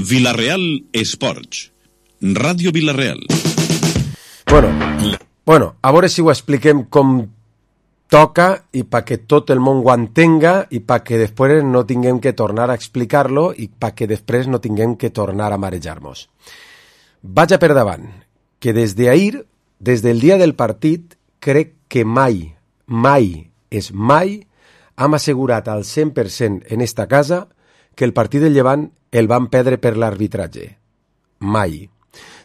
Vila-real Esports. Ràdio Vila-real. Bueno, a veure si ho expliquem com toca i perquè tot el món ho entenga i perquè després no tinguem que tornar a explicar-lo i perquè després no tinguem que tornar a marejar-nos. Vaig a per davant, que des d'ahir, des del dia del partit, crec que mai hem assegurat al 100% en esta casa que el partit del Llevant el van perdre per l'arbitratge. Mai.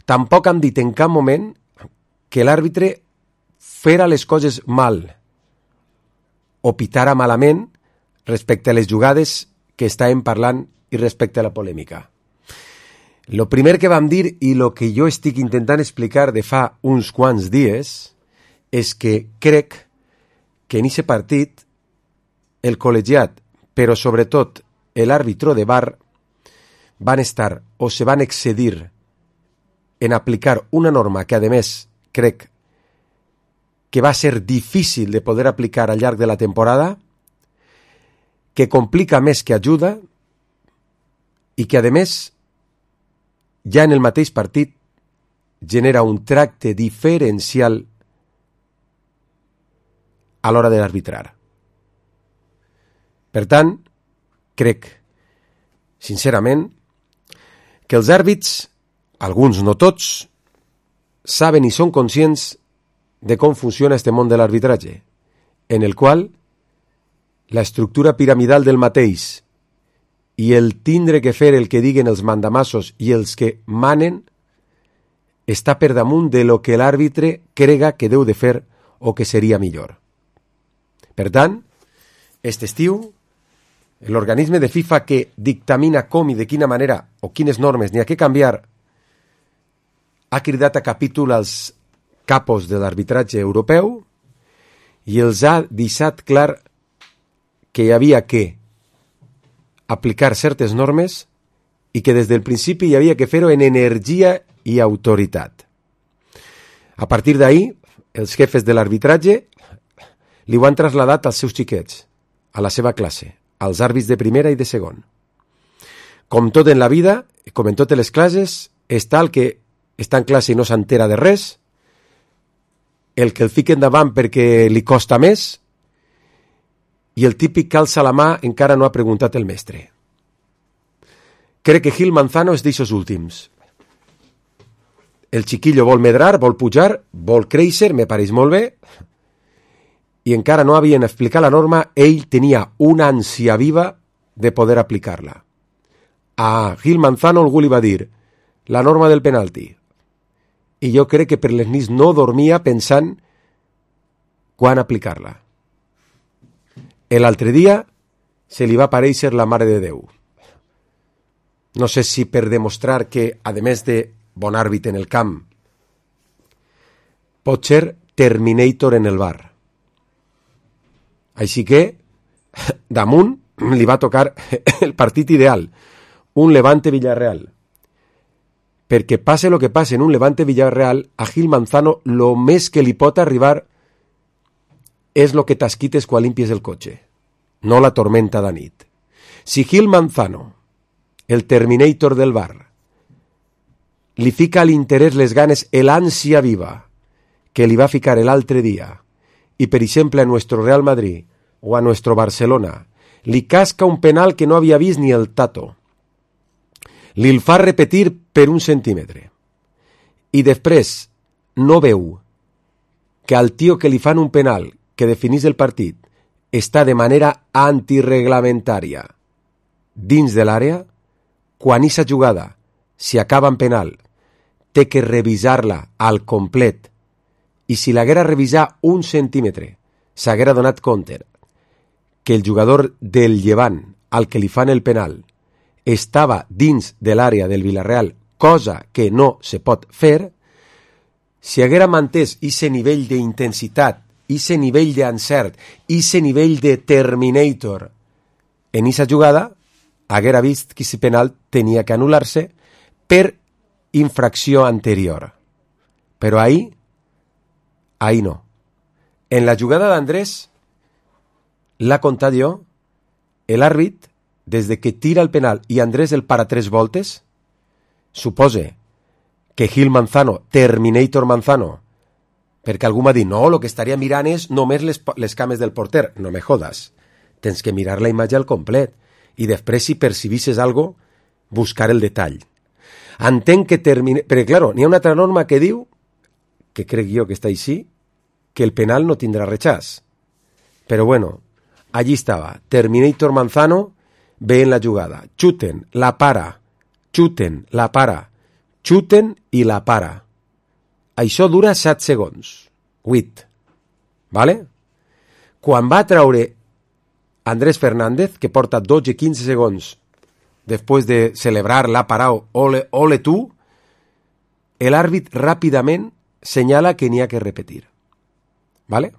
Tampoc hem dit en cap moment que l'àrbitre fera les coses mal o pitara malament respecte a les jugades que estàvem parlant i respecte a la polèmica. Lo primer que vam dir i lo que jo estic intentant explicar de fa uns quants dies és que crec que en aquest partit el col·legiat, però sobretot l'àrbitro de VAR, van estar o se van excedir en aplicar una norma que, a més, crec que va ser difícil de poder aplicar al llarg de la temporada, que complica més que ajuda i que, a més, ja en el mateix partit genera un tracte diferencial a l'hora de l'arbitrar. Per tant, crec, sincerament, que els àrbits, alguns no tots, saben i són conscients de com funciona este món de l'arbitratge, en el qual la estructura piramidal del mateix i el tindre que fer el que diguen els mandamassos i els que manen està per damunt de lo que l'àrbitre crega que deu de fer o que seria millor. Per tant, este estiu, l'organisme de FIFA que dictamina com i de quina manera o quines normes n'hi ha que canviar ha cridat a capítol als capos de l'arbitratge europeu i els ha deixat clar que hi havia que aplicar certes normes i que des del principi hi havia que fer-ho en energia i autoritat. A partir d'ahir, els jefes de l'arbitratge li ho han traslladat als seus xiquets, a la seva classe, als àrbits de primera i de segon. Com tot en la vida, com en totes les classes, està el que està en classe i no s'entera de res, el que el fica endavant perquè li costa més i el típic que alça la mà encara no ha preguntat el mestre. Crec que Gil Manzano és d'aixòs últims. El xiquillo vol medrar, vol pujar, vol créixer, me pareix molt bé, i encara no havien explicat la norma, ell tenia una ànsia viva de poder aplicar-la. A Gil Manzano algú li va dir la norma del penalti. I jo crec que per les nits no dormia pensant quan aplicar-la. L'altre dia se li va aparèixer la Mare de Déu. No sé si per demostrar que, a més de bon àrbit en el camp, pot ser Terminator en el bar. Així que, damunt, li va tocar el partit ideal, un Levante-Villarreal. Perquè passe el que passe en un Levante-Villarreal, a Gil Manzano lo més que li pot arribar és lo que t'esquites quan limpies el cotxe, no la tormenta de nit. Si Gil Manzano, el Terminator del bar, li fica a l'interès les ganes, l'ànsia viva que li va ficar l'altre dia, i per exemple a nuestro Real Madrid o a nuestro Barcelona, li casca un penal que no havia vist ni el Tato, li el fa repetir per 1 centímetre, i després no veu que al tio que li fan un penal que definís el partit està de manera antirreglamentària dins de l'àrea, quan aquesta jugada, si acaba en penal, té que revisar-la al complet, i si l'haguera revisat 1 centímetre, s'haguera donat compte que el jugador del Llevant, al que li fan el penal, estava dins de l'àrea del Villarreal, cosa que no se pot fer, si haguera mantès aquest nivell d'intensitat, aquest nivell d'encert, aquest nivell de Terminator en aquesta jugada, haguera vist que aquest penal tenia que anul·lar-se per infracció anterior. Però ahí no. En la jugada d'Andrés, l'ha contat jo, l'àrbit, des de que tira el penal i Andrés el para 3 voltes, supose que Gil Manzano, Terminator Manzano, perquè algú m'ha dit, no, el que estaria mirant és només les cames del porter. No me jodas. Tens que mirar la imatge al complet i després, si percibisses algo, buscar el detall. Entenc que perquè, claro, n'hi ha una altra norma que diu, que crec jo que està així, que el penal no tindrà rechaç. Però bueno, allí estava. Terminator Manzano ve en la jugada. Xuten, la para. Xuten, la para. Xuten i la para. Això dura 7 segons. 8. Vale? Quan va treure Andrés Fernández, que porta 12-15 segons després de celebrar la parao, ole tu, l'àrbit ràpidament senyala que n'hi ha que repetir. ¿Vale?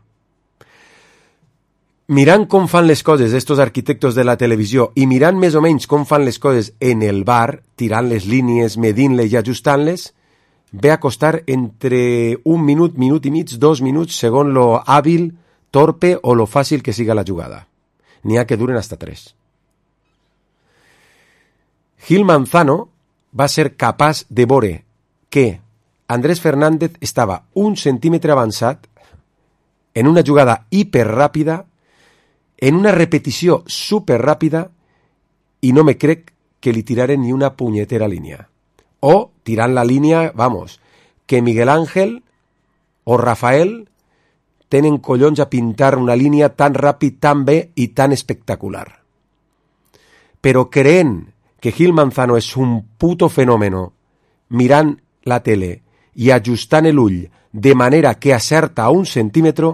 Mirant com fan les coses estos arquitectos de la televisió i mirant més o menys com fan les coses en el bar, tirant les línies, medint-les i ajustant-les, ve a costar entre 1 minut, minut i mig, 2 minuts, segons lo hàbil, torpe o lo fàcil que siga la jugada. N'hi ha que duren hasta 3. Gil Manzano va ser capaç de veure que Andrés Fernández estava 1 centímetre avançat en una jugada hiperràpida, en una repetició superràpida, i no me crec que li tiraren ni una punyetera línia. O, tirant la línia, vamos, que Miguel Ángel o Rafael tenen collons a pintar una línia tan ràpid, tan bé i tan espectacular. Però creent que Gil Manzano és un puto fenòmeno, mirant la tele i ajustant l'ull de manera que acerta a 1 centímetre,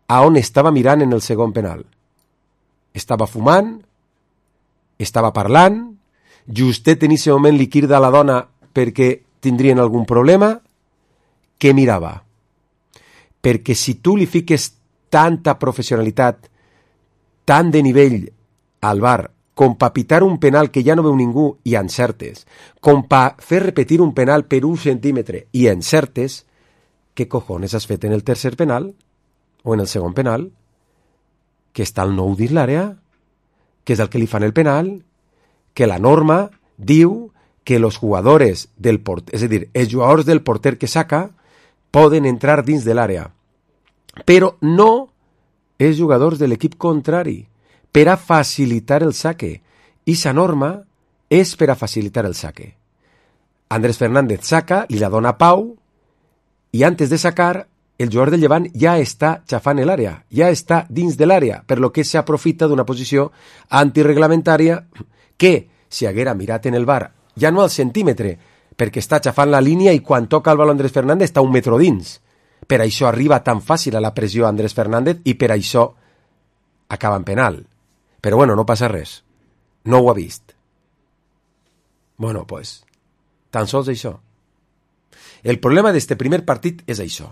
a on estava mirant en el segon penal. Estava fumant, estava parlant, justet en aquest moment li crida a la dona perquè tindrien algun problema, què mirava? Perquè si tu li fiques tanta professionalitat, tant de nivell al bar, com per pitar un penal que ja no veu ningú i encertes, com per fer repetir un penal per 1 centímetre i encertes, què cojones has fet en el tercer penal? O en el segon penal? Que està el nou dins l'àrea? Que és el que li fan el penal? Que la norma diu que los jugadores del porter, és a dir, els jugadors del porter que saca poden entrar dins de l'àrea, però no els jugadors de l'equip contrari, per a facilitar el saque. I sa norma és per a facilitar el saque. Andrés Fernández saca, li la dona Pau, i antes de sacar, el jugador del Llevant ja està xafant l'àrea, ja està dins de l'àrea, per lo que s'aprofita d'una posició antirreglamentària que, si haguera mirat en el bar, ja no al centímetre, perquè està xafant la línia i quan toca el baló Andrés Fernández està 1 metre dins. Per això arriba tan fàcil a la pressió Andrés Fernández i per això acaba en penal. Però bueno, no passa res. No ho ha vist. Bueno, pues, tan sols això. El problema d'este primer partit és això.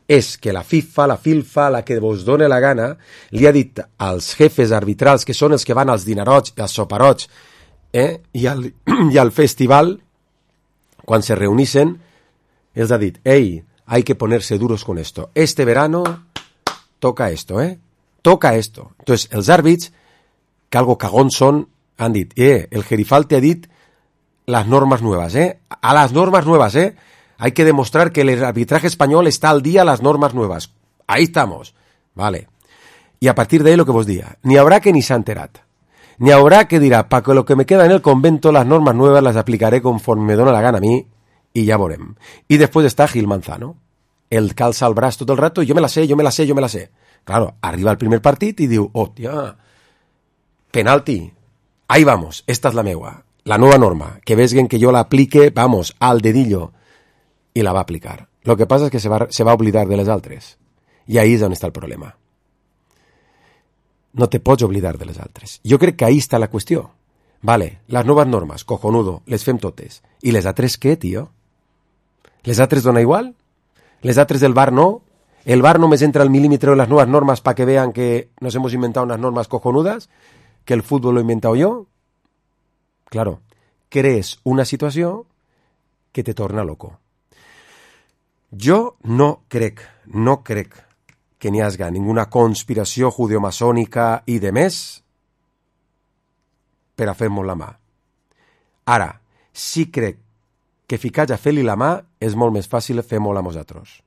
És que la FIFA, la FILFA, la que vos dona la gana, li ha dit als jefes arbitrals, que són els que van als dinarots, als soparots, i al festival, quan se reunixen, els ha dit, hey, hay que ponerse duros con esto. Este verano toca esto, toca esto. Entonces, els àrbits, que algo cagón son, han dit, el Gerifalte ha dit las normas nuevas, a las normas nuevas, hay que demostrar que el arbitraje español está al día a las normas nuevas. Ahí estamos, vale. Y a partir de ahí lo que vos diga, ni habrá que ni se ha enterat, ni habrá que dirá, para que lo que me queda en el convento, las normas nuevas las aplicaré conforme me dona la gana a mí, y ya veurem. Y después está Gil Manzano, el calza el braç tot el rato, yo me la sé. Claro, arriba el primer partit y diu, hòstia, penalti, ahí vamos, esta es la meua, la nueva norma, que vesguen que yo la aplique, vamos, al dedillo, y la va a aplicar. Lo que pasa es que se va a oblidar de les altres, y ahí és on està el problema. No te pots oblidar de les altres. Jo crec que ahí està la qüestió. Vale, les noves normes, cojonudo, les fem totes. I les altres què, tio? Les altres dona igual? Les altres del VAR no? El VAR només entra al milímetro en las nuevas normas para que vean que nos hemos inventado unas normas cojonudas, que el fútbol lo he inventado yo. Claro, crees una situació que te torna loco. Jo no crec que n'hi hagi ninguna conspiració judeomasònica i de més per a fer-nos la mà. Ara, sí crec que ficar a fer-li la mà és molt més fàcil fer molt a nosaltres.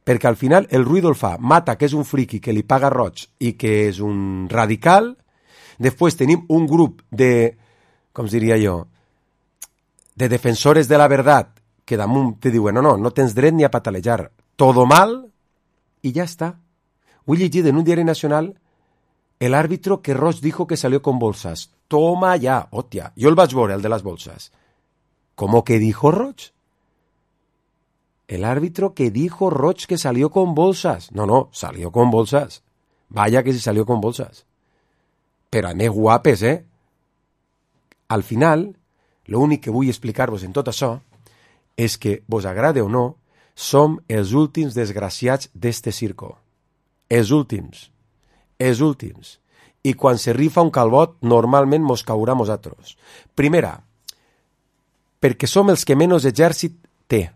Perquè al final el Ruido el fa, Mata, que és un friqui que li paga roig i que és un radical. Després tenim un grup de, com diria jo, de defensores de la verdad que damunt te diuen, no tens dret ni a patalejar, todo mal, y ya está. Ho he llegit en un diari nacional, el árbitro que Roig dijo que salió con bolsas. Toma ya, hòstia, jo el vaig veure, el de les bolsas. ¿Cómo que dijo Roig? El árbitro que dijo Roig que salió con bolsas. No, salió con bolsas. Vaya que sí salió con bolsas. Però a més guapes, Al final, l'únic que vull explicar-vos en tot això és que, vos agrade o no, som els últims desgraciats d'este circo. Els últims. I quan se rifa un calbot, normalment mos caurà a nosaltres. Primera, perquè som els que menys exèrcit té.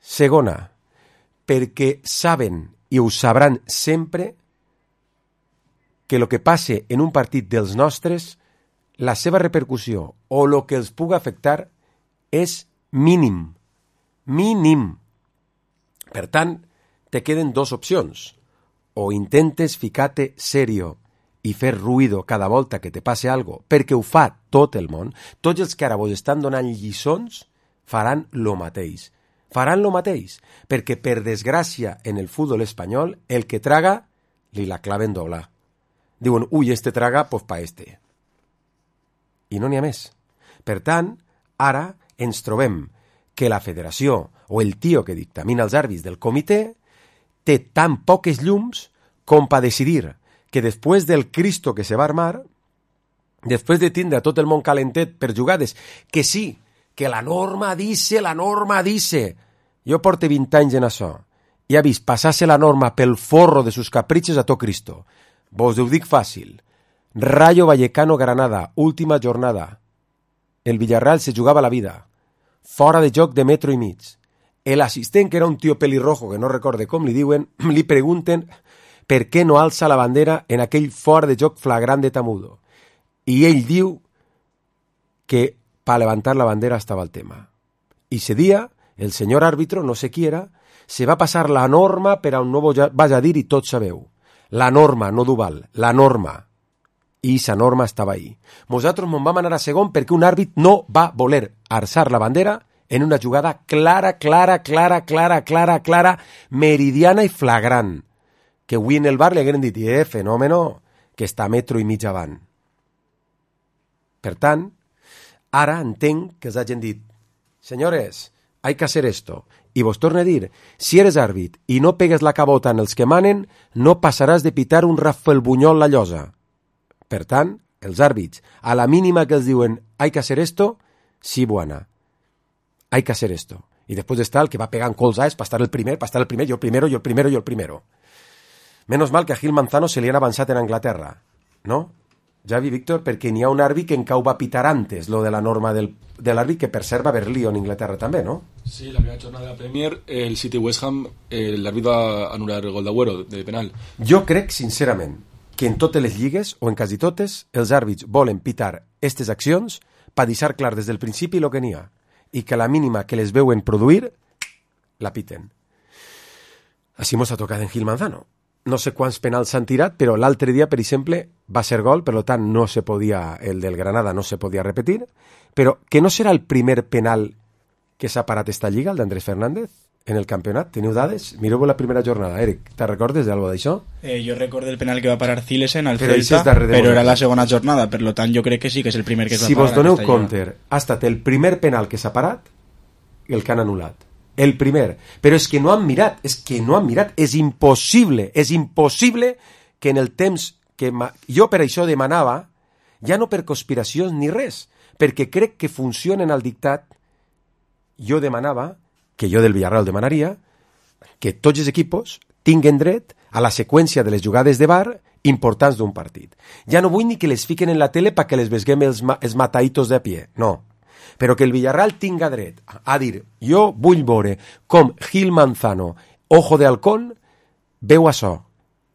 Segona, perquè saben, i ho sabran sempre, que el que passe en un partit dels nostres, la seva repercussió o el que els pugui afectar és mínim. Mínim. Per tant, te queden dos opcions. O intentes ficar-te serio i fer ruïdo cada volta que te passe algo, perquè ho fa tot el món. Tots els que ara vos estan donant lliçons faran lo mateix. Faran lo mateix, perquè per desgràcia en el futbol espanyol el que traga li la claven doble. Diuen, este traga, pues pa este. I no n'hi ha més. Per tant, ara ens trobem que la federació o el tio que dictamina els àrbits del comitè té tan poques llums com per decidir que després del Cristo que se va armar, després de tindre tot el món calentet per jugades, que sí, que la norma dice, jo porto 20 anys en això, i ha vist passar-se la norma pel forro de sus caprichos a tot Cristo. Vos ho dic fàcil. Rayo Vallecano Granada, última jornada. El Villarreal se jugava la vida. Fora de joc de metro i mig. El assistent, que era un tio pelirrojo, que no recorde com li diuen, li pregunten per què no alça la bandera en aquell fora de joc flagrant de Tamudo. I ell diu que para levantar la bandera estava el tema. I ese día, el senyor árbitro, no sé qui era, se va passar la norma per a un nou vaig a dir i tots sabeu. La norma, no Duval, la norma. I esa norma estava ahí. Nosaltres vam anar a segon perquè un àrbit no va voler alçar la bandera en una jugada clara, meridiana i flagrant. Que avui en el bar li hagueren dit, fenòmeno, que està a metro i mig avant. Per tant, ara entenc que els hagin dit, senyores, hay que hacer esto. I vos torno a dir, si eres àrbit i no pegues la cabota en els que manen, no passaràs de pitar un Rafael Buñol la llosa. Per tant, els àrbits, a la mínima que els diuen hay que hacer esto, sí, buena. Hay que hacer esto. I després està el que va pegant colzades per estar el primer, jo el primero. Menos mal que a Gil Manzano se li han avançat en Anglaterra, no? Javi, Víctor, perquè n'hi ha un àrbit que encara ho va pitar antes, lo de la norma de l'àrbit, que per cert va haver lío en Inglaterra també, no? Sí, la primera jornada de la Premier, el City West Ham, l'àrbit va anul·lar el gol d'Agüero de penal. Jo crec, sincerament, que en totes les lligues, o en quasi totes, els àrbits volen pitar aquestes accions per deixar clar des del principi el que n'hi ha, i que a la mínima que les veuen produir, la piten. Així mos ha tocat en Gil Manzano. No sé quants penals s'han tirat, però l'altre dia, per exemple, va ser gol, per tant, no se podia, el del Granada no se podia repetir, però que no serà el primer penal que s'ha parat esta lliga, el d'Andrés Fernández, en el campionat. Teniu dades? Mireu la primera jornada. Eric, te recordes d'algo d'això? Jo recordo el penal que va parar Zilesen al Celta, però era la segona jornada, per tant, jo crec que sí que és el primer que es va parar. Si vos doneu compte, ha estat el primer penal que s'ha parat i el que han anul·lat. El primer. Però és que no han mirat, és impossible que en el temps que jo per això demanava, ja no per conspiracions ni res, perquè crec que funcionen al dictat, jo demanava, que jo del Villarreal demanaria, que tots els equipos tinguen dret a la seqüència de les jugades de VAR importants d'un partit. Ja no vull ni que les fiquen en la tele perquè les veiem els mataitos de a pie, no. Però que el Villarreal tinga dret a dir, jo vull veure com Gil Manzano, ojo de halcón, veu això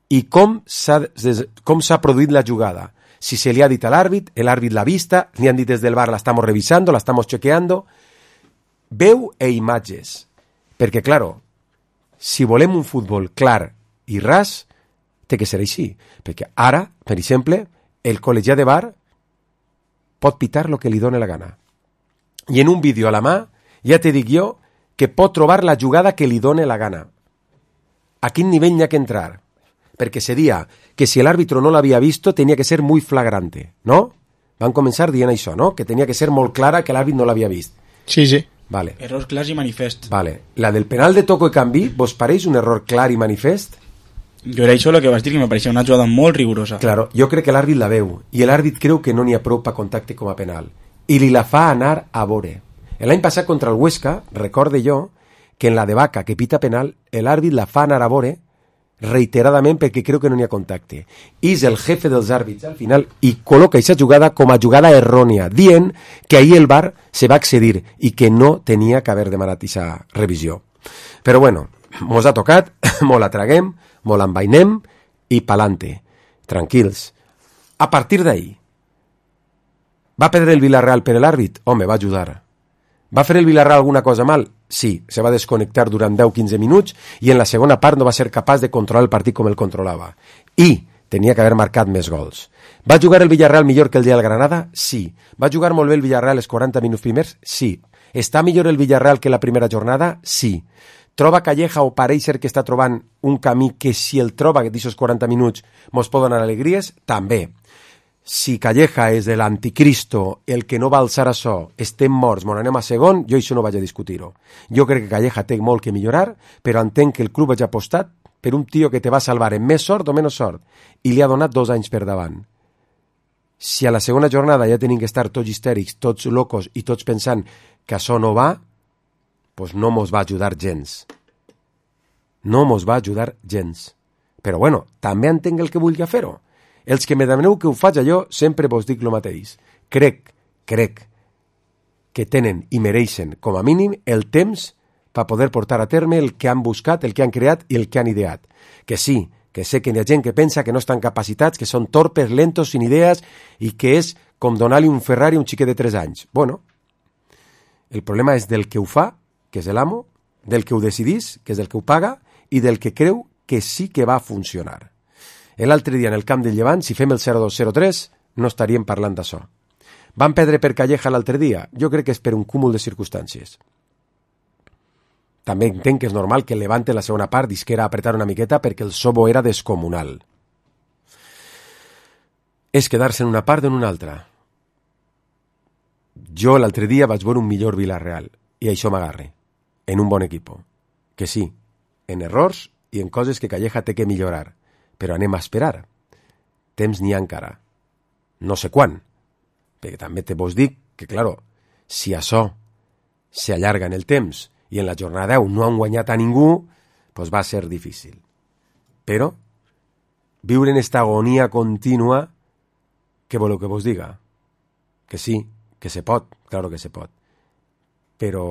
i com s'ha produït la jugada. Si se li ha dit a l'àrbit, l'àrbit l'ha vista, li han dit des del bar, la estamos revisando, la estamos chequeando. veu e imatges. Perquè, claro, si volem un futbol clar i ras, té que ser així. Perquè ara, per exemple, el col·legiat de bar pot pitar el que li dóna la gana. I en un vídeo a la mà, ja te dic jo, que pot trobar la jugada que li dóna la gana. A quin nivell n'hi ha que entrar? Perquè seria que si l'àrbitro no l'havia visto, tenia que ser muy flagrante, ¿no? Van començar dient això, ¿no? Que tenia que ser molt clara que l'àrbit no l'havia vist. Sí, sí. Vale. Errors clars i manifest. Vale. La del penal de toco i canvi, vos pareix un error clar i manifest? Jo era això el que vas dir, que me pareixia una jugada molt rigorosa. Claro, jo crec que l'àrbit la veu, i l'àrbit creu que no n'hi ha prou per contacte com a penal, i li la fa anar a vore. L'any passat contra el Huesca, recorde jo, que en la de Vaca, que pita penal, l'àrbit la fa anar a vore reiteradament perquè creu que no n'hi ha contacte. I és el jefe dels àrbits al final i col·loca aquesta jugada com a jugada errònia, dient que ahir el VAR se va accedir i que no tenia que haver demanat aquesta revisió. Però bueno, mos ha tocat, mos la traguem, mos l'envainem i pa'lante. Tranquils. A partir d'ahir, va perdre el Villarreal per l'àrbit? Home, va ajudar. Va fer el Villarreal alguna cosa mal? Sí, se va desconnectar durant 10-15 minuts i en la segona part no va ser capaç de controlar el partit com el controlava. I tenia que haver marcat més gols. Va jugar el Villarreal millor que el dia del Granada? Sí. Va jugar molt bé el Villarreal els 40 minuts primers? Sí. Està millor el Villarreal que la primera jornada? Sí. Troba Calleja o pareix ser que està trobant un camí que si el troba d'aquests 40 minuts mos pot donar alegries? També. Si Calleja és de l'anticristo, el que no va alçar això, estem morts, mon anem a segon, jo això no vaig a discutir-ho. Jo crec que Calleja té molt que millorar, però entenc que el club hagi apostat per un tio que te va salvar en més sort o menys sort, i li ha donat 2 anys per davant. Si a la segona jornada ja tenim que estar tots histèrics, tots locos i tots pensant que això no va, doncs no mos va ajudar gens. No mos va ajudar gens. Però bueno, també entenc el que vulgui fer-ho. Els que me demaneu que ho faig allò, sempre vos dic el mateix. Crec que tenen i mereixen, com a mínim, el temps per poder portar a terme el que han buscat, el que han creat i el que han ideat. Que sí, que sé que hi ha gent que pensa que no estan capacitats, que són torpes, lentos, sin idees, i que és com donar-li un Ferrari a un xiquet de 3 anys. Bueno, el problema és del que ho fa, que és l'amo, del que ho decidís, que és el que ho paga, i del que creu que sí que va funcionar. L'altre dia en el camp del Llevant, si fem el 0-2-0-3, no estaríem parlant d'això. Van perdre per Calleja l'altre dia? Jo crec que és per un cúmul de circumstàncies. També entenc que és normal que el Levante en la segona part disquera a apretar una miqueta perquè el sobo era descomunal. És quedar-se en una part o en una altra. Jo l'altre dia vaig veure un millor Villarreal i això m'agarre, en un bon equip. Que sí, en errors i en coses que Calleja té que millorar. Però anem a esperar. Temps n'hi ha encara. No sé quan. Perquè també te vos dic que, claro, si això s'allarga en el temps i en la jornada 10 no han guanyat a ningú, doncs va ser difícil. Però viure en esta agonia contínua, què voleu que vos diga? Que sí, que se pot, claro que se pot. Però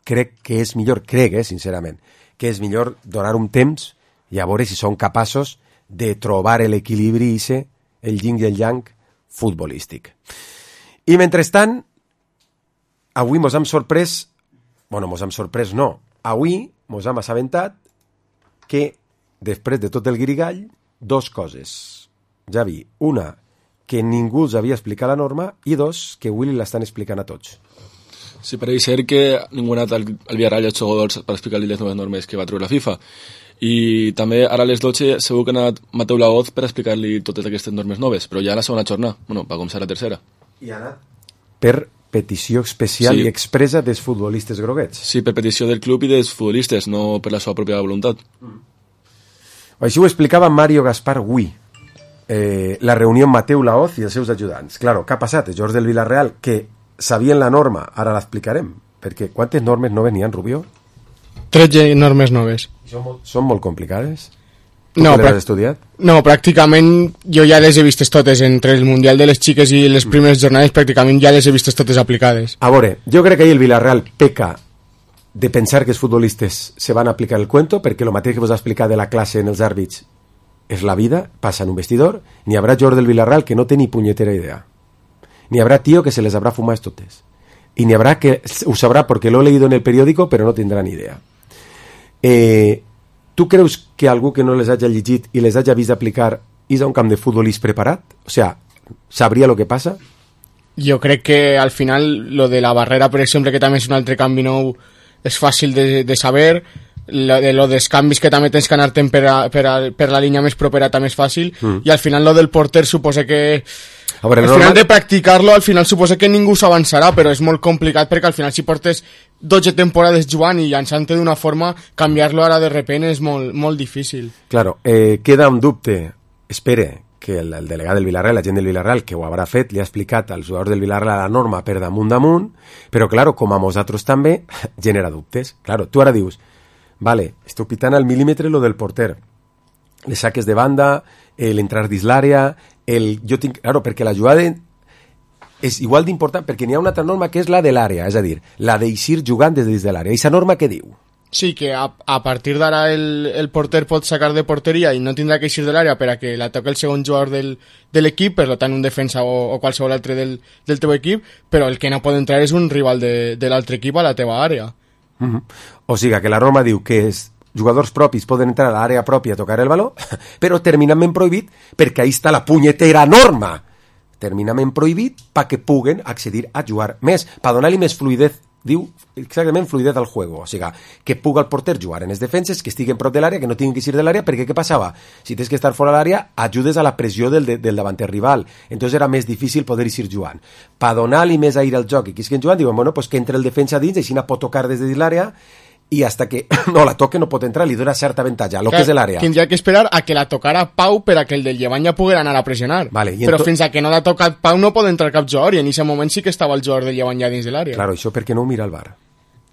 crec que és millor, sincerament, que és millor donar un temps i a veure si són capaços de trobar l'equilibri i el yin i el yang futbolístic. I mentrestant, avui mos hem sorprès, avui mos hem assabentat que després de tot el guirigall, 2 coses. Javi, una, que ningú els havia explicat la norma, i 2, que avui l'estan explicant a tots. Sí, pareix ser que ningú ha anat al Villarreal i als jugadors per explicar-li les noves normes que va treure la FIFA. I també ara a les 12 segur que ha anat Mateu Laoz per explicar-li totes aquestes normes noves, però ja a la segona jornada, va començar la tercera. I ha anat per petició especial i expressa dels futbolistes groguets. Sí, per petició del club i dels futbolistes, no per la seva pròpia voluntat. Així ho explicava Mario Gaspar avui, la reunió amb Mateu Laoz i els seus ajudants. Claro, què ha passat? Els jugadors del Villarreal, que sabien la norma, ara l'explicarem, perquè quantes normes noves n'hi ha, Rubio? 13 normes noves. Són molt complicades? No, l'has estudiat? No, pràcticament jo ja les he vistes totes, entre el Mundial de les Xiques i les primeres jornades pràcticament ja les he vistes totes aplicades. A veure, jo crec que ahir el Villarreal peca de pensar que els futbolistes se van a aplicar el cuento, perquè el mateix que vos ha explicat de la classe en els àrbits és la vida, passa en un vestidor, n'hi haurà jugador del Villarreal que no té ni punyetera idea. N'hi haurà tio que se les haurà fumat totes. y n'hi habrá que ho sabrà porque lo he leído en el periódico però no tindrà ni idea. Tu creus que algú que no les hagi llegit i les hagi vist aplicar és a un camp de futbol preparat? O sea, sabria lo que passa? Jo crec que al final lo de la barrera, per exemple, que també és un altre canvi nou, és fàcil de saber. Lo dels canvis que també tens que anar-te'n per la línia més propera també és fàcil. I al final lo del porter suposa que a veure, al final de practicar-lo, al final suposa que ningú s'avançarà, però és molt complicat perquè al final si portes 12 temporades jugant i llançant-te d'una forma, canviar-lo ara de repent és molt, molt difícil. Claro, queda un dubte. Espere que el delegat del Villarreal, la gent del Villarreal, que ho haurà fet, li ha explicat als jugadors del Villarreal la norma per damunt, però claro, com a nosaltres també, genera dubtes. Claro, tu ara dius, vale, estic pitant al mil·límetre lo del porter, les saques de banda, l'entrar dins l'àrea, claro, perquè la jugada és igual d'important, perquè n'hi ha una altra norma que és la de l'àrea, és a dir, la d'eixir jugant des de l'àrea. Aquesta norma què diu? Sí, que a partir d'ara el porter pot sacar de porteria i no tindrà que eixir de l'àrea per a que la toqui el segon jugador de l'equip, per tant un defensa o qualsevol altre del teu equip, però el que no pot entrar és un rival de l'altre equip a la teva àrea. O sigui que la norma diu que jugadors propis poden entrar a l'àrea pròpia a tocar el baló, però terminament prohibit perquè ahí està la punyetera norma. Terminament prohibit perquè puguen accedir a jugar més, per donar-li més fluidez, diu exactament fluidez al juego, o sigui que puga el porter jugar en les defenses, que estiguen prop de l'àrea, que no tinguin que eixir de l'àrea, perquè què passava? Si tens que estar fora de l'àrea, ajudes a la pressió del davanter rival, entonces era més difícil poder eixir jugant. Per donar-li més aire al joc i que estiguen jugant, diuen, bueno, pues que entre el defensa dins, així no pot tocar des de dins l'àrea, i hasta que no la toque no pot entrar, li dona certa avantatge, lo que és l'àrea. Tindria que esperar a que la tocara Pau per a que el del Llevant ja poguera anar a pressionar. Vale, però fins a que no l'ha tocat Pau no pot entrar cap jugador, i en aquest moment sí que estava el jugador del Llevant ja dins de l'àrea. Claro, això perquè no ho mira el VAR.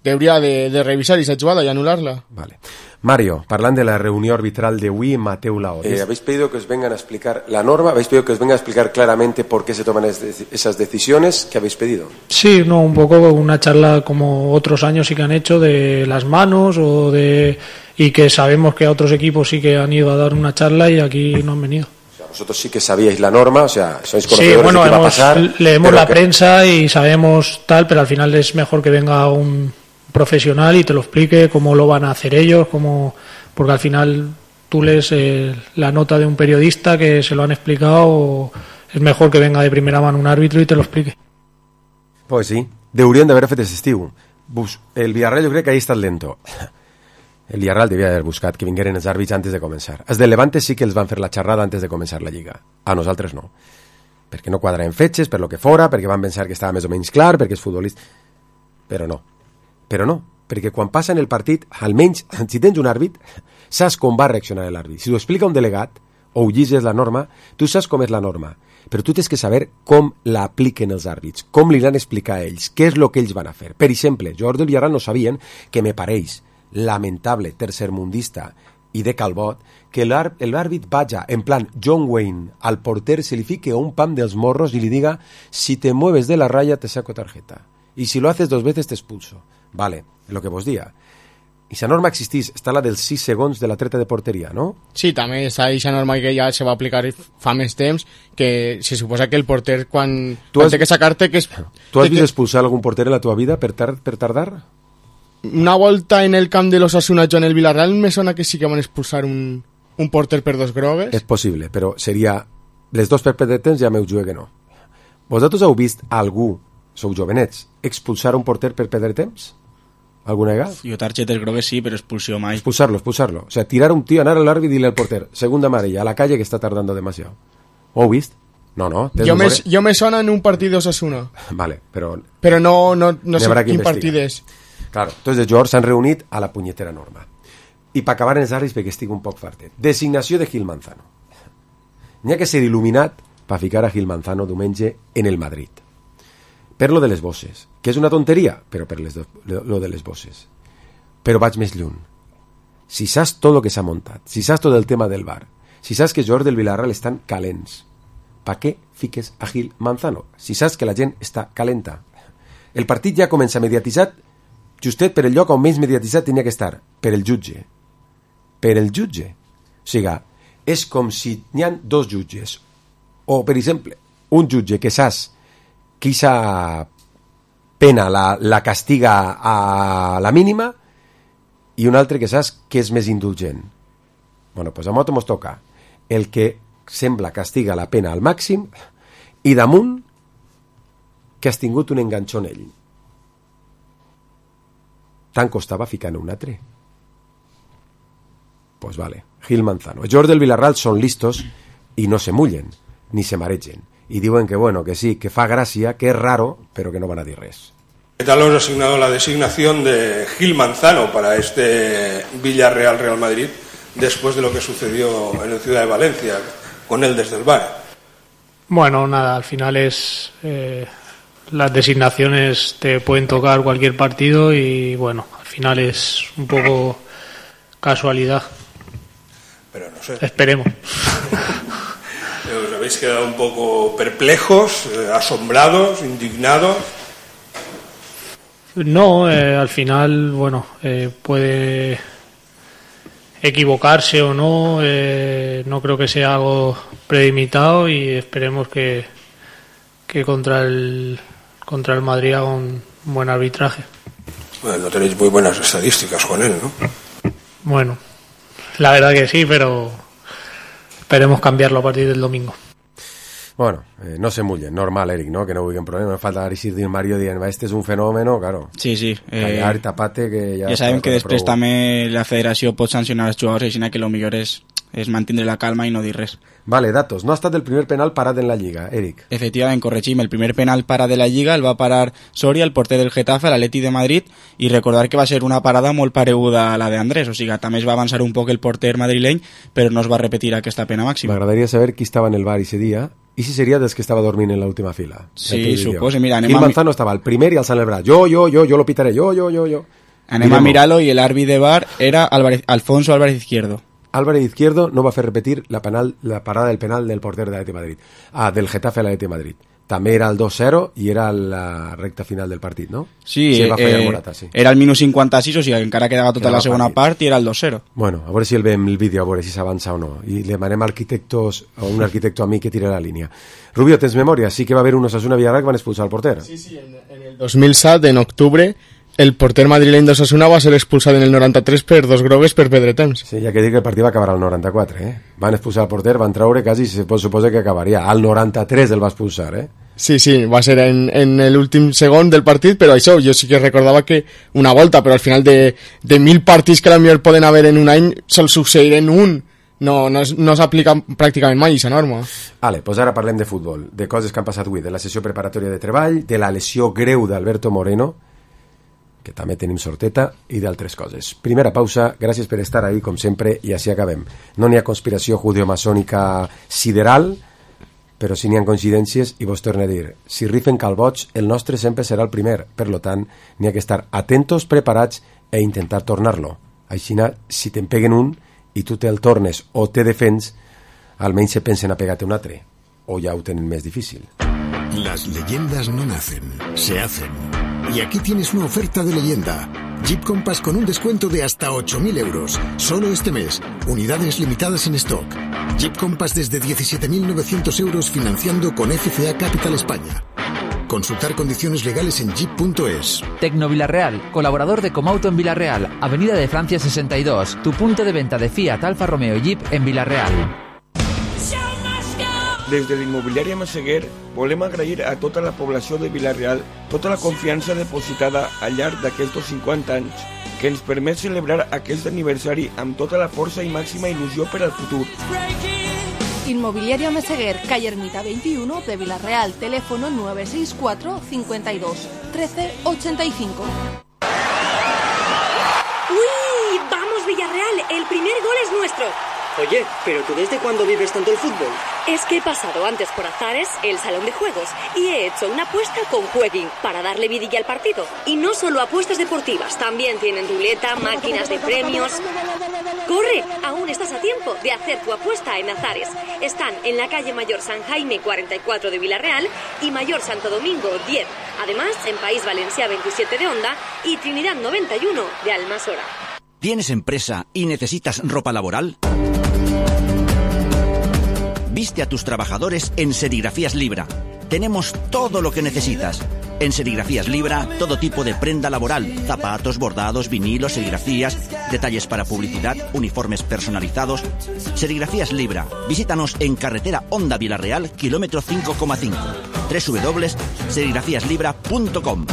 Hauria de revisar esa jugada y anularla. Vale. Mario, parlant de la reunión arbitral de Wii, Mateu Laoz. Habéis pedido que os vengan a explicar la norma, habéis pedido que os vengan a explicar claramente por qué se toman esas decisiones que habéis pedido. Sí, no, un poco una charla como otros años sí que han hecho de las manos y que sabemos que a otros equipos sí que han ido a dar una charla y aquí no han venido. O sea, vosotros sí que sabíais la norma, o sea, sois conocedores de qué va a pasar. Leemos la prensa y sabemos tal, pero al final es mejor que venga un profesional y te lo explique cómo lo van a hacer ellos, porque al final tú lees la nota de un periodista que se lo han explicado, es mejor que venga de primera mano un árbitro y te lo explique. Pues sí, deurien d'haver fet aquest estiu. El Villarreal jo crec que ahí està lento. El Villarreal devia haver buscat que vingueren els àrbits antes de començar. Els de Levante sí que els van fer la xerrada antes de començar la Lliga. A nosaltres no. Perquè no quadraven fetges, per lo que fora, perquè van pensar que estava més o menys clar, perquè és futbolista. Però no, perquè quan passa en el partit, almenys, si tens un àrbit, saps com va reaccionar l'àrbit. Si ho explica un delegat, o ho llegis la norma, tu saps com és la norma, però tu tens que saber com l'apliquen els àrbits, com li van explicar a ells, què és el que ells van a fer. Per exemple, jugadors del Villarreal no sabien que me pareix lamentable, tercermundista i de calbot, que l'àrbit vaja en plan John Wayne al porter, se li fique un pam dels morros i li diga, si te mueves de la raya te saco tarjeta. Y si lo haces 2 veces te expulso. Vale, lo que vos dia. I esa norma existís, està la dels 6 segons de la treta de porteria, no? Sí, també està aquesta norma que ja se va aplicar fa més temps, que se suposa que el porter quan té que sacar-te... Tu has vist expulsar algun porter en la teva vida per tardar? Una volta en el camp de l'Osasuna en el Villarreal me sona que sí que van expulsar un porter per 2 grogues. És possible, però seria... Les 2 per perdre temps ja m'ho jugué que no. Vosaltres heu vist algú, sou jovenets, expulsar un porter per perdre temps? ¿Alguna vegada? Jo targetes grogues sí, però expulsió mai. Expulsarlo. O sea, tirar un tío, anar al árbitro y dile al porter, segunda amarilla, a la calle que está tardando demasiado. ¿Ho vist? No. Jo me sona en un partit d'Osasuna. Vale, però no sé quin partit és. Claro, entonces els jugadors s'han reunit a la punyetera norma. I per acabar en els àrbits, perquè estic un poc fartet. Designació de Gil Manzano. N'hi ha que ser il·luminat per ficar a Gil Manzano diumenge en el Madrid. Per lo de les bosses, que és una tonteria, però per lo de les bosses. Però vaig més lluny. Si saps tot el que s'ha muntat, si saps tot el tema del VAR, si saps que els jugadors del Villarreal estan calents, per què fiques a Gil Manzano? Si saps que la gent està calenta. El partit ja comença mediatitzat, justet per el lloc on menys mediatitzat tenia que estar, per el jutge. Per el jutge. O sigui, és com si n'hi ha 2 jutges. O, per exemple, un jutge que saps que aquesta pena la castiga a la mínima, i un altre que saps que és més indulgent. Bueno, doncs a nosaltres ens toca el que sembla castiga la pena al màxim i damunt que has tingut un enganxó en ell. Tant costava ficar-ne un altre. Pues vale, Gil Manzano. Els jugadors del Villarreal són listos i no se mullen, ni se maregen. Y diuen que bueno, que sí, que fa gràcia, que és raro, pero que no van a dir res. ¿Qué tal os ha asignado la designación de Gil Manzano para este Villarreal-Real Madrid después de lo que sucedió en la ciudad de Valencia con él desde el VAR? Bueno, nada, al final es... las designaciones te pueden tocar cualquier partido y bueno, al final es un poco casualidad. Pero no sé. Esperemos. ¿Os habéis quedado un poco perplejos, asombrados, indignados? No, al final, bueno, puede equivocarse o no, no creo que sea algo premeditado y esperemos que contra el Madrid haga un buen arbitraje. Bueno, no tenéis muy buenas estadísticas con él, ¿no? Bueno, la verdad que sí, pero esperemos cambiarlo a partir del domingo. Bueno, no se mullen, normal, Eric, ¿no? Que no hubo problema. No falta decir Mario dient, este és un fenòmeno, claro. Sí, sí. Callar, tapate, que ja sabem que després també la federació pot sancionar els jugadors, així que el millor és mantindre la calma i no dir res. Vale, datos. No ha estat el primer penal parat en la Lliga, Eric. Efectivament, corregim. El primer penal parat de la Lliga el va parar Soria, el porter del Getafe, a l'Atleti de Madrid, i recordar que va ser una parada molt pareguda a la d'Andrés, o sigui, també es va avançar un poc el porter madrileny, però no es va repetir aquesta pena màxima. M'agradaria saber qui estava en el bar ese dia, i si seria dels que estava dormint en l'última fila. Sí, suposo. Mira, Gil Manzano estava al primer i alçant el braç. Jo lo pitaré, yo. Anem a mirar-lo, i l'àrbit de bar era Alfonso Álvarez Izquierdo. Álvarez Izquierdo no va fer repetir la parada del penal del porter de l'Atleti de Madrid. Del Getafe a l'Atleti de Madrid. També era el 2-0 i era la recta final del partit, no? Sí, va fallar Morata, sí. Era el minut 56, o sigui, encara quedava tota la segona part i era el 2-0. Bueno, a veure si el veiem el vídeo, a veure si s'avança o no. I li demanem a un arquitecto a mi que tire la línia. Rubio, tens memòria? Sí que va haver un Osasuna Villarreal que van expulsar al porter. Sí, en el 2007, en octubre, el porter madrileny d'Osasuna va ser expulsat en el 93 per 2 grogues per perdre temps. Sí, ja que dir que el partit va acabar al 94, Van expulsar el porter, van treure quasi, se pot suposar que acabaria. Al 93 el va expulsar, Sí, va ser en l'últim segon del partit, però això, jo sí que recordava que una volta, però al final de 1.000 partits que potser poden haver en un any, sol succeir en un. No s'aplica pràcticament mai aquesta norma. Vale, doncs ara parlem de futbol, de coses que han passat avui, de la sessió preparatòria de treball, de la lesió greu d'Alberto Moreno, que també tenim sorteta, i d'altres coses. Primera pausa, gràcies per estar ahí, com sempre, i així acabem. No n'hi ha conspiració judeomasònica sideral, però sí n'hi ha coincidències, i vos torno a dir, si rifen calbots, el nostre sempre serà el primer, per lo tant, n'hi ha que estar atentos, preparats, e intentar tornar-lo. Així, si te'n peguen un, i tu te'l tornes o te defens, almenys se pensen a pegar-te un altre, o ja ho tenen més difícil. Las leyendas no nacen, se hacen. Y aquí tienes una oferta de leyenda. Jeep Compass con un descuento de hasta 8.000 euros. Solo este mes. Unidades limitadas en stock. Jeep Compass desde 17.900 euros financiando con FCA Capital España. Consultar condiciones legales en jeep.es. Tecno Villarreal, colaborador de Comauto en Villarreal, Avenida de Francia 62, tu punto de venta de Fiat, Alfa Romeo y Jeep en Villarreal. Des de l'immobiliària Massaguer volem agrair a tota la població de Villarreal tota la confiança depositada al llarg d'aquests 50 anys que ens permet celebrar aquest aniversari amb tota la força i màxima il·lusió per al futur. Inmobiliaria Meseguer, calle Ermita 21 de Villarreal, teléfono 964 52 13 85. ¡Uy! ¡Vamos, Villarreal! El primer gol es nuestro. Oye, ¿pero tú desde cuándo vives tanto el fútbol? Es que he pasado antes por Azares, el salón de juegos, y he hecho una apuesta con Jueguin para darle vidilla al partido. Y no solo apuestas deportivas, también tienen ruleta, máquinas de premios. ¡Corre! Aún estás a tiempo de hacer tu apuesta en Azares. Están en la calle Mayor San Jaime 44 de Villarreal y Mayor Santo Domingo 10. Además, en País Valencià 27 de Onda y Trinidad 91 de Almasora. ¿Tienes empresa y necesitas ropa laboral? Viste a tus trabajadores en Serigrafías Libra. Tenemos todo lo que necesitas. En Serigrafías Libra, todo tipo de prenda laboral, zapatos, bordados, vinilos, serigrafías, detalles para publicidad, uniformes personalizados. Serigrafías Libra. Visítanos en carretera Honda Vilarreal, kilómetro 5,5. www.serigrafíaslibra.com.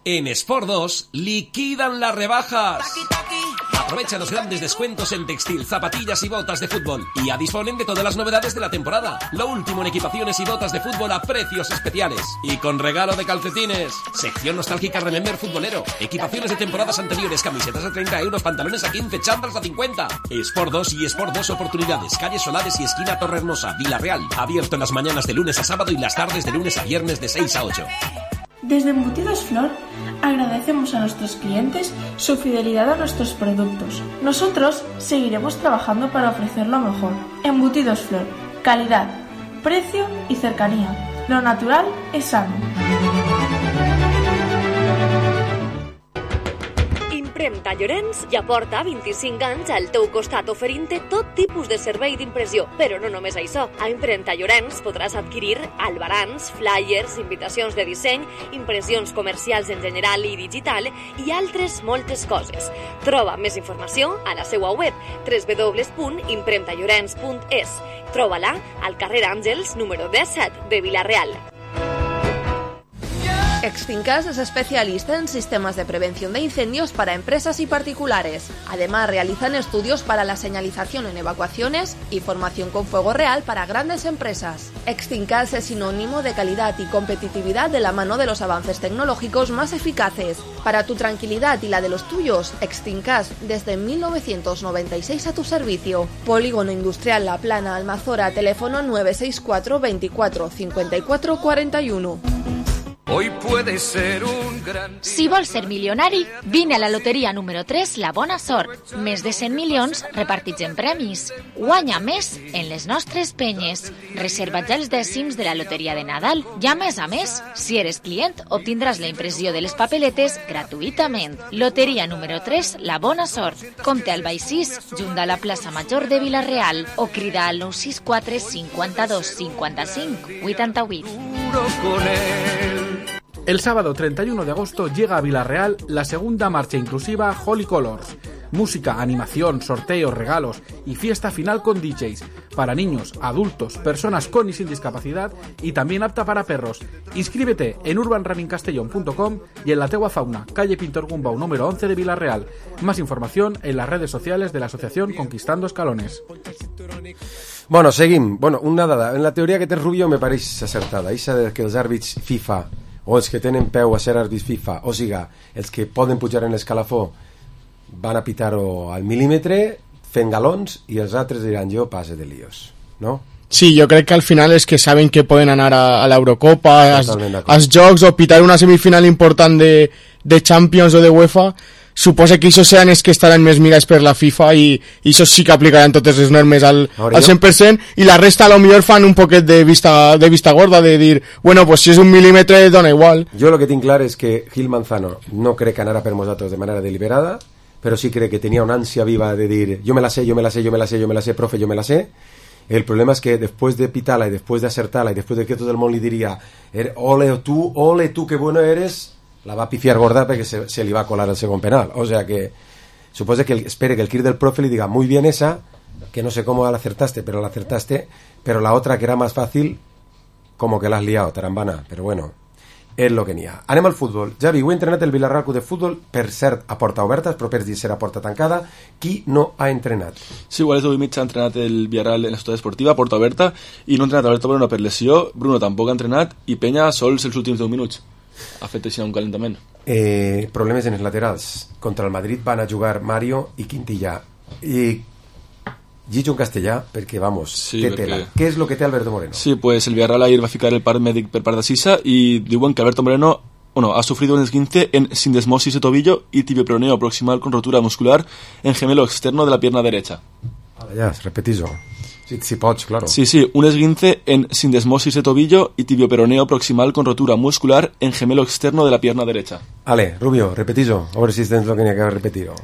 En Sport 2 liquidan las rebajas. Aprovecha los grandes descuentos en textil, zapatillas y botas de fútbol. Y ya disponen de todas las novedades de la temporada. Lo último en equipaciones y botas de fútbol a precios especiales. Y con regalo de calcetines. Sección nostálgica Remember futbolero. Equipaciones de temporadas anteriores, camisetas a 30 euros, pantalones a 15, chándals a 50. Sport 2 y Sport 2 Oportunidades. Calle Solares y esquina Torrehermosa, Vilarreal. Abierto en las mañanas de lunes a sábado y las tardes de lunes a viernes de 6 a 8. Desde Embutidos Flor agradecemos a nuestros clientes su fidelidad a nuestros productos. Nosotros seguiremos trabajando para ofrecer lo mejor. Embutidos Flor, calidad, precio y cercanía. Lo natural es sano. Impremta Llorenç ja porta 25 anys al teu costat oferint-te tot tipus de servei d'impressió. Però no només això. A Impremta Llorenç podràs adquirir albarans, flyers, invitacions de disseny, impressions comercials en general i digital i altres moltes coses. Troba més informació a la seva web www.impremtallorens.es. Troba-la al carrer Àngels, número 17 de Vilarreal. Extincas es especialista en sistemas de prevención de incendios para empresas y particulares. Además, realizan estudios para la señalización en evacuaciones y formación con fuego real para grandes empresas. Extincas es sinónimo de calidad y competitividad de la mano de los avances tecnológicos más eficaces. Para tu tranquilidad y la de los tuyos, Extincas desde 1996 a tu servicio. Polígono Industrial La Plana, Almazora, teléfono 964 24 54 41. Hoy puede ser un gran... Si vols ser milionari, vine a la loteria número 3, La Bona Sort. Més de 100 milions repartits en premis. Guanya més en les nostres penyes. Reserva ja els dècims de la loteria de Nadal. I a més, si eres client, obtindràs la impressió de les papeletes gratuïtament. Loteria número 3, La Bona Sort. Compte al Baixís, junt a la plaça Major de Vilarreal, o crida al 964 52 55 88. Con él. El sábado 31 de agosto llega a Vilarreal la segunda marcha inclusiva Holy Colors. Música, animación, sorteos, regalos y fiesta final con DJs. Para niños, adultos, personas con y sin discapacidad y también apta para perros. Inscríbete en urbanrunningcastellón.com y en la Teua Fauna, calle Pintor Gumbau número 11 de Vilarreal. Más información en las redes sociales de la asociación Conquistando Escalones. Bueno, seguim. Bueno, una dada. En la teoria que té Rubio me pareix acertada. Eixa de que els àrbits FIFA o els que tenen peu a ser àrbits FIFA, o siga, els que poden pujar en l'escalafó van a pitar-ho al mil·límetre fent galons i els altres diran jo passe de líos, no? Sí, jo crec que al final és que saben que poden anar a l'Eurocopa, als Jocs o pitar una semifinal important de Champions o de UEFA. Suposa que això seran els que estaran més mirats per la FIFA i això sí que aplicaran totes les normes al 100% i la resta a lo millor fan un poquet de vista gorda de dir, bueno, pues si és un mil·límetre dona igual. Jo lo que tinc clar és que Gil Manzano no crec que anara per nosaltres de manera deliberada, però sí crec que tenia una ànsia viva de dir yo me la sé, profe, yo me la sé. El problema es que después de pitarla y después de acertarla y después de que todo el mundo le diría ole tú, qué bueno eres, la va a pifiar gorda perquè se li va colar el segon penal. O sea que supose que espere que el crit del profe le diga muy bien esa, que no sé cómo la acertaste, pero la otra que era más fácil como que la has liado, tarambana, però bueno, és lo que n'hi ha. Anem al futbol. Javi, ho he entrenat el Vilarreal Club de Futbol, per cert, a porta oberta, els propers dies serà a porta tancada. Qui no ha entrenat? Sí, igual és 8:30 ha entrenat el Vilarreal en la ciutat esportiva, a porta oberta, i no ha entrenat Alberto Moreno per lesió, Bruno tampoc ha entrenat, i Peña sols els últims 10 minuts. Ha fet així un calentament. Problemes en els laterals. Contra el Madrid van a jugar Mario i Quintilla. I Gijón Castellà, perquè, vamos, sí, té tela. Què és el que té Alberto Moreno? Sí, pues el Villarreal ahir va ficar el part mèdic per part de Sisa i diuen que Alberto Moreno ha sufrido un esguince en sindesmosis de tobillo y tibioperoneo proximal con rotura muscular en gemelo externo de la pierna derecha. Ya, repetís-ho. Si pots, claro. Sí, un esguince en sindesmosis de tobillo y tibioperoneo proximal con rotura muscular en gemelo externo de la pierna derecha. Ale, Rubio, repetís-ho, a veure si tens el que n'hi ha que repetir-ho.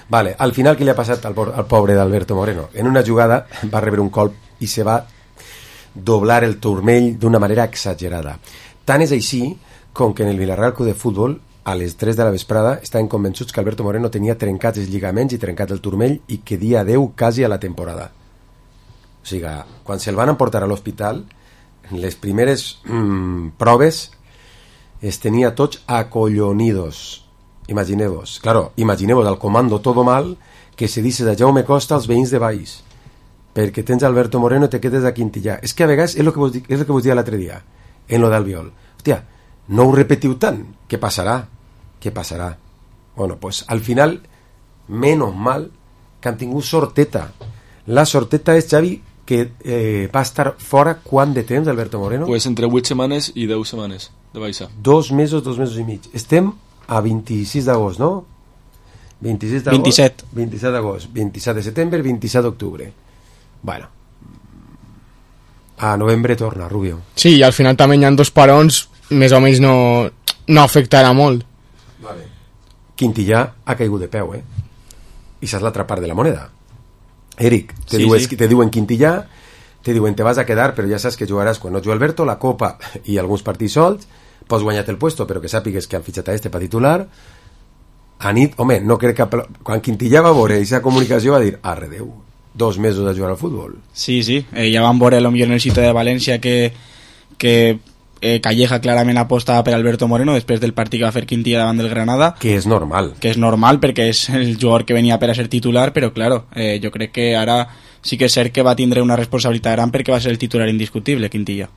Vale, al final què li ha passat al pobre d'Alberto Moreno? En una jugada va rebre un colp i se va doblar el turmell d'una manera exagerada. Tant és així com que en el Villarreal Club de Futbol a les 3 de la vesprada estaven convençuts que Alberto Moreno tenia trencats els lligaments i trencat el turmell i que dia adeu quasi a la temporada. O sigui, quan se'l van emportar a l'hospital, les primeres proves es tenia tots acollonidos. Imagineu-vos. Claro, imagineu-vos al comando todo mal que se dices a Jaume Costa als veïns de Baix perquè tens Alberto Moreno i te quedes a Quintillà. És que a vegades és el que vos dia l'altre dia en lo d'Albiol. Hòstia, no ho repetiu tant. Què passarà? Què passarà? Bueno, pues al final, menos mal que han tingut sorteta. La sorteta és, Xavi, que va estar fora quant de temps, Alberto Moreno? Pues entre 8 setmanes i 10 setmanes de baixa. 2 mesos i mig. Estem a 26 d'agost, no? 26 d'agost? 27. 27 d'agost, 27 de setembre, 27 d'octubre. Bueno. A novembre torna, Rubio. Sí, i al final també hi ha 2 parons, més o menys no afectarà molt. Vale. Quintillà ha caigut de peu, I saps l'altra part de la moneda. Eric, te diuen Quintillà, te diuen te vas a quedar, però ja saps que jugaràs quan no juga Alberto, la Copa i alguns partits sols, pots guanyar-te el puesto, però que sàpigues que han fitxat a per titular. A nit, home, no crec que... Quan Quintillà va veure aquesta comunicació va dir, arre Déu, 2 mesos a jugar al futbol. Sí, ja van veure potser en el sitio de València que Calleja clarament apostava per Alberto Moreno després del partit que va fer Quintilla davant del Granada, que és normal perquè és el jugador que venia per a ser titular, però claro, jo crec que ara sí que és cert que va tindre una responsabilitat gran perquè va ser el titular indiscutible, Quintilla.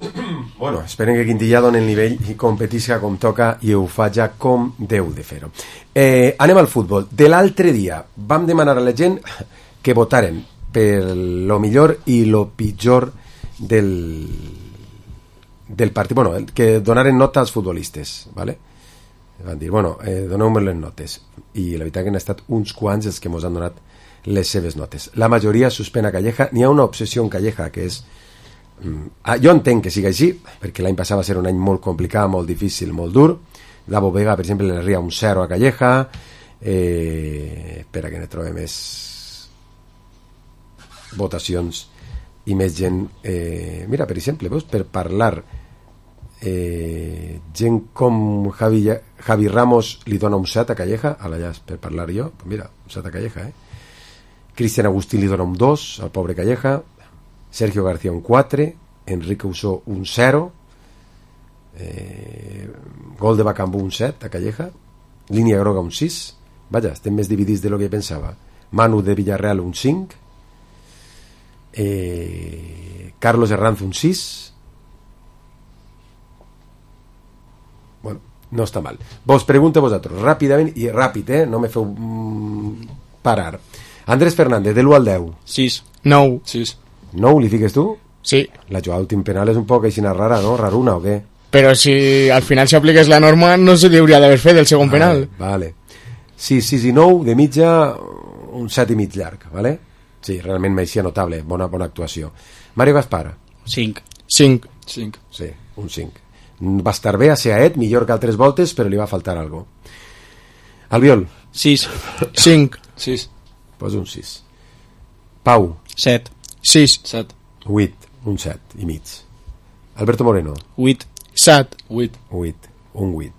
Bueno, esperen que Quintilla doni el nivell i competisca com toca i ho faja com deu de fer-ho. Anem al futbol. De l'altre dia vam demanar a la gent que votaren per lo millor i lo pitjor del partit, bueno, que donaren nota als futbolistes, ¿vale? Van dir, bueno, doneu-me les notes, i la veritat que han estat uns quants els que mos han donat les seves notes. La majoria suspèn a Calleja. N'hi ha una obsessió en Calleja que és... jo entenc que sigui així, perquè l'any passat va ser un any molt complicat, molt difícil, molt dur. Davo Vega, per exemple, le ria un 0 a Calleja. Espera que ne trobe més votacions i més gent. Mira, per exemple, veus, per parlar gent com Javi Ramos li dona un 7 a Calleja, a la llast, per parlar jo, pues mira, un 7 a Calleja, Cristian Agustín li dona un 2 al pobre Calleja, Sergio García un 4, Enrique Usó un 0, gol de Bacambú un 7 a Calleja, línia groga un 6, vaja, estem més dividits de lo que pensava. Manu de Villarreal un 5, Carlos Herranz un 6. Bueno, no està mal. Vos pregunto a vosaltres ràpidament, i ràpid, no me feu parar. Andrés Fernández, de l'1 al 10. 6. 9. 6. 9 li fiques tu? Sí. La jugada últim penal és un poc aixina rara, no? Raruna o què? Però si al final s'apliqués la norma no se li hauria d'haver fet el segon penal. Vale. 6 i 9, de mitja un 7 i mig llarg, vale? Sí, realment m'eixia notable, bona actuació. Mario Gaspar. 5. Sí, un 5. Va estar bé a Seaet, millor que altres voltes, però li va faltar algo. Albiol. 6. 5. 6. Pues un 6. Pau. 7. 6. 7. 8. Un 7 i mig. Alberto Moreno. 8. 7. 8. 8. Un 8.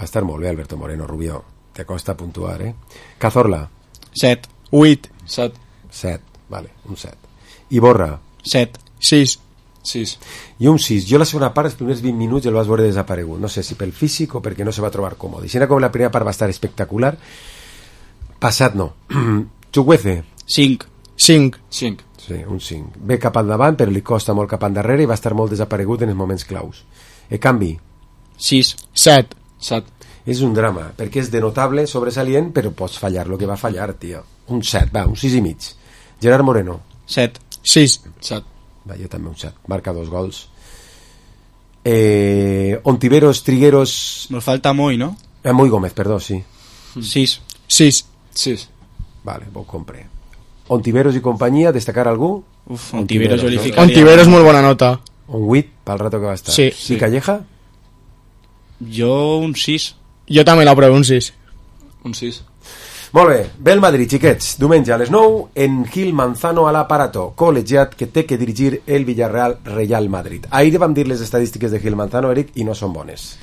Va estar molt bé, Alberto Moreno, Rubió. Te costa puntuar, Cazorla. 7. 8. 7. 7. Vale, un 7. Iborra. 7. 6. 6. I un 6. Jo la segona part, els primers 20 minuts el vas veure desaparegut. No sé si pel físic o perquè no se va trobar còmode. Si era com la primera part va estar espectacular, passat no. Chukwueze. 5. 5. 5. Sí, un 5. Ve cap endavant, però li costa molt cap endarrere i va estar molt desaparegut en els moments claus. Canvi. 6. 7. 7. És un drama, perquè és de notable, sobresalient, però pots fallar lo que va fallar, tio. Un 7, va, un 6 i mig. Gerard Moreno. 7. 6. 7. Va, jo també un 7. Marca 2 gols. Ontiveros, Trigueros... Nos falta Moy, ¿no? Moy Gómez, perdó, sí. 6. 6. 6. Vale, ho compré. Ontiveros i companyia, destacar algú? Uf, Ontiveros jo li ficaria. Ontiveros molt bona nota. Un 8 pel rato que va estar. Sí. I Calleja? Jo un 6. Jo també l'aprovo, un 6. Un 6. Molt bé, ve el Madrid, xiquets. Diumenge a les 9 en Gil Manzano a l'Aparato, col·legiat que té que dirigir el Villarreal Real Madrid. Ahir vam dir les estadístiques de Gil Manzano, Eric, i no són bones.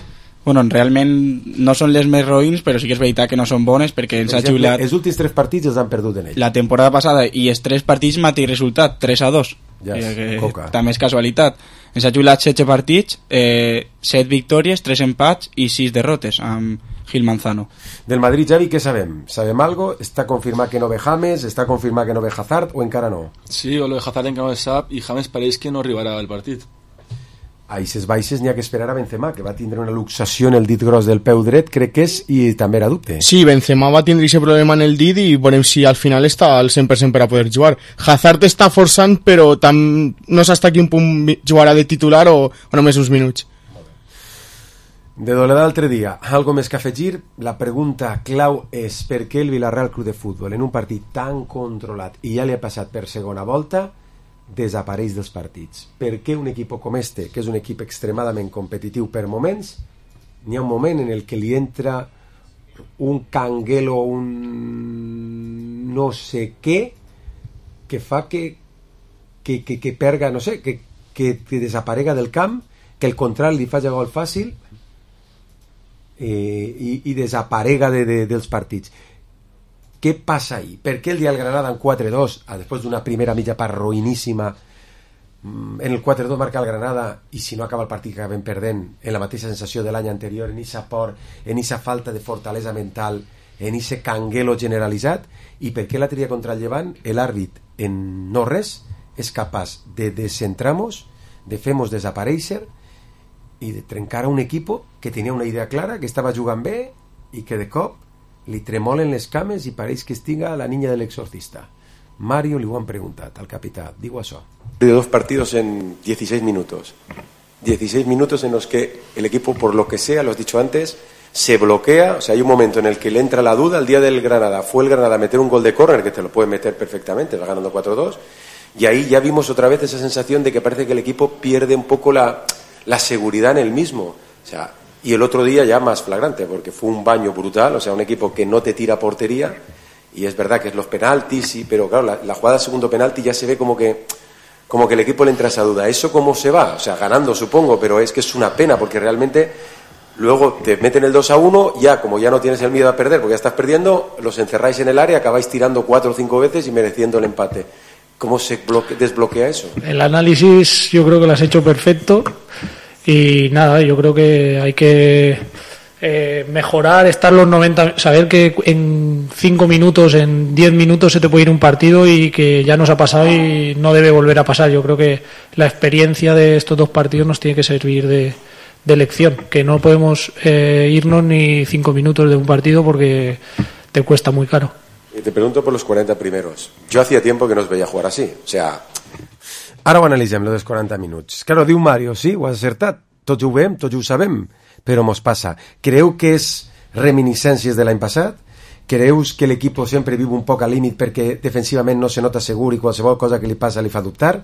Bueno, realment no són les més roïns, però sí que és veritat que no són bones perquè ens ha xiulat... Els últims 3 partits els han perdut en ell. La temporada passada i els 3 partits mateix resultat, 3-2. Ja és coca. També és casualitat. Ens ha xiulat 16 partits, 7 victòries, 3 empats i 6 derrotes amb Gil Manzano. Del Madrid, Javi, què sabem? ¿Sabem algo? ¿Està confirmat que no ve James? ¿Està confirmat que no ve Hazard o encara no? Sí, o lo de Hazard encara no se sap i James pareix que no arribarà al partit. A aquestes baixes n'hi ha que esperar a Benzema, que va tindre una luxació en el dit gros del peu dret, crec que és, i també era dubte. Sí, Benzema va tindre aquest problema en el dit i veurem si al final està al 100% per a poder jugar. Hazard està forçant, però no s'està a quin punt jugarà de titular o només uns minuts. De doler l'altre dia, algo més que afegir, la pregunta clau és per què el Villarreal Club de Futbol, en un partit tan controlat i ja li ha passat per segona volta, desapareix dels partits. Per què un equip com este, que és un equip extremadament competitiu per moments, n'hi ha un moment en el que li entra un canguelo, un no sé què, que fa que perga, no sé, que desaparega del camp, que el contrari li faci gol fàcil i desaparega dels partits. Què passa ahí? Per què el dia del Granada en 4-2, després d'una primera mitja part roïníssima, en el 4-2 marca el Granada i si no acaba el partit que acabem perdent, en la mateixa sensació de l'any anterior, en aquesta por, en aquesta falta de fortalesa mental, en aquest canguelo generalitzat, i per què l'altre dia contra el Llevant l'àrbit en no res és capaç de descentramos, de fer-nos desaparèixer i de trencar a un equip que tenia una idea clara, que estava jugant bé i que de cop li tremolen les cames i pareix que estiga la niña del exorcista. Mario li ho han preguntat al capità, digo això. De 2 partidos en 16 minutos. 16 minutos en los que el equipo, por lo que sea, lo has dicho antes, se bloquea. O sea, hay un momento en el que le entra la duda. El día del Granada fue el Granada a meter un gol de córner, que te lo puede meter perfectamente, va ganando 4-2. Y ahí ya vimos otra vez esa sensación de que parece que el equipo pierde un poco la seguridad en el mismo. O sea, y el otro día ya más flagrante, porque fue un baño brutal, o sea, un equipo que no te tira a portería, y es verdad que es los penaltis, sí, pero claro, la jugada del segundo penalti ya se ve como que el equipo le entra esa duda. ¿Eso cómo se va? O sea, ganando supongo, pero es que es una pena, porque realmente luego te meten el 2-1, ya como ya no tienes el miedo a perder, porque ya estás perdiendo, los encerráis en el área, acabáis tirando 4 o 5 veces y mereciendo el empate. ¿Cómo se desbloquea eso? El análisis yo creo que lo has hecho perfecto. Y nada, yo creo que hay que mejorar, estar los 90, saber que en 5 minutos, en 10 minutos se te puede ir un partido y que ya nos ha pasado y no debe volver a pasar. Yo creo que la experiencia de estos 2 partidos nos tiene que servir de lección, que no podemos irnos ni 5 minutos de un partido porque te cuesta muy caro. Y te pregunto por los 40 primeros. Yo hacía tiempo que no os veía jugar así, o sea... Ara ho analitzem, lo dels 40 minuts. Claro, diu Mario, sí, ho has acertat. Tots ho veiem, tots ho sabem, però mos passa. Creu que és reminiscències de l'any passat? Creus que l'equip sempre viu un poc al límit perquè defensivament no se nota segur i qualsevol cosa que li passa li fa dubtar?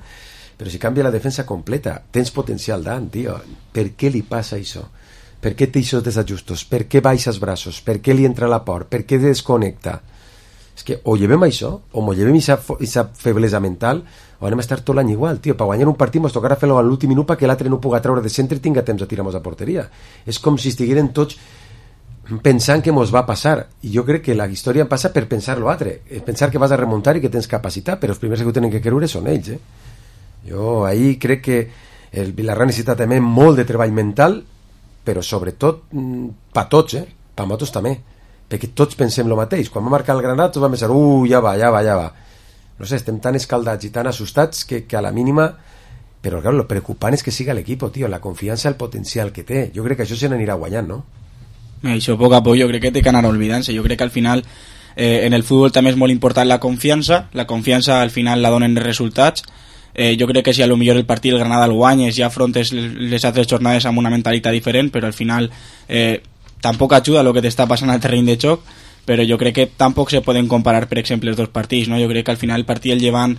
Però si canvia la defensa completa, tens potencial d'ant, tio. Per què li passa això? Per què té aquests desajustos? Per què baixa els braços? Per què li entra la por? Per què desconnecta? És que o llevem això, o mos llevem aquesta feblesa mental, o anem a estar tot l'any igual, tio. Per guanyar un partit mos tocarà fer-lo a l'últim minut perquè l'altre no puga treure de centre i tinga temps de tirar-nos a porteria. És com si estigueren tots pensant que mos va passar, i jo crec que la història passa per pensar l'altre, pensar que vas a remuntar i que tens capacitat, però els primers que ho tenen que creure són ells. Jo ahí crec que el Villarreal necessita també molt de treball mental, però sobretot per tots, per nosaltres també, perquè tots pensem el mateix. Quan va marcar el Granada tots vam pensar, ja va. No sé, estem tan escaldats i tan assustats que a la mínima... Però claro, lo preocupant és que siga l'equip, tio, la confiança, el potencial que té. Jo crec que això se n'anirà guanyant, no? Això a poc a poc jo crec que té que anar oblidant-se. Jo crec que al final en el futbol també és molt important la confiança al final la donen els resultats. Jo crec que si a lo millor el partit el Granada el guanyes ja afrontes les altres jornades amb una mentalitat diferent, però al final tampoc ajuda el que t'està passant al terreny de joc, però jo crec que tampoc se poden comparar, per exemple, els 2 partits, no? Jo crec que al final el partit el Llevant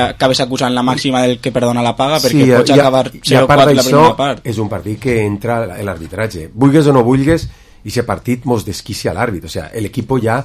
acabes acusant la màxima del que perdona la paga, perquè pots acabar 0-4 la primera part. És un partit que entra l'arbitratge. Vulgues o no vulgues, i aquest partit mos desquicia l'àrbit. O sea, l'equip ja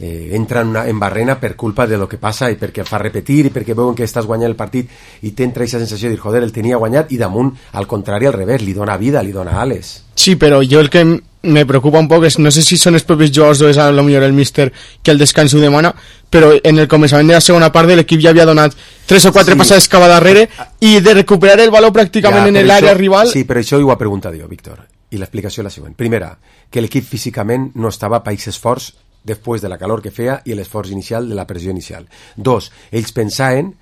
entra en barrena per culpa de lo que passa i perquè el fa repetir i perquè veuen que estàs guanyant el partit i t'entra aquesta sensació de dir, joder, el tenia guanyat, i damunt, al contrari, al revés, li dona vida, li dona ales. Sí, però jo el que me preocupa un poc és, no sé si són els propis jugadors o és a lo millor el míster que el descans ho demana, però en el començament de la segona part de l'equip ja havia donat 3 o 4 passades cap a darrere i de recuperar el valor pràcticament en l'àrea rival. Sí, però això ho ha preguntat jo, Víctor, i l'explicació és la següent. Primera, que l'equip físicament no estava a país esforç després de la calor que feia i l'esforç inicial de la pressió inicial. 2, ells pensaven,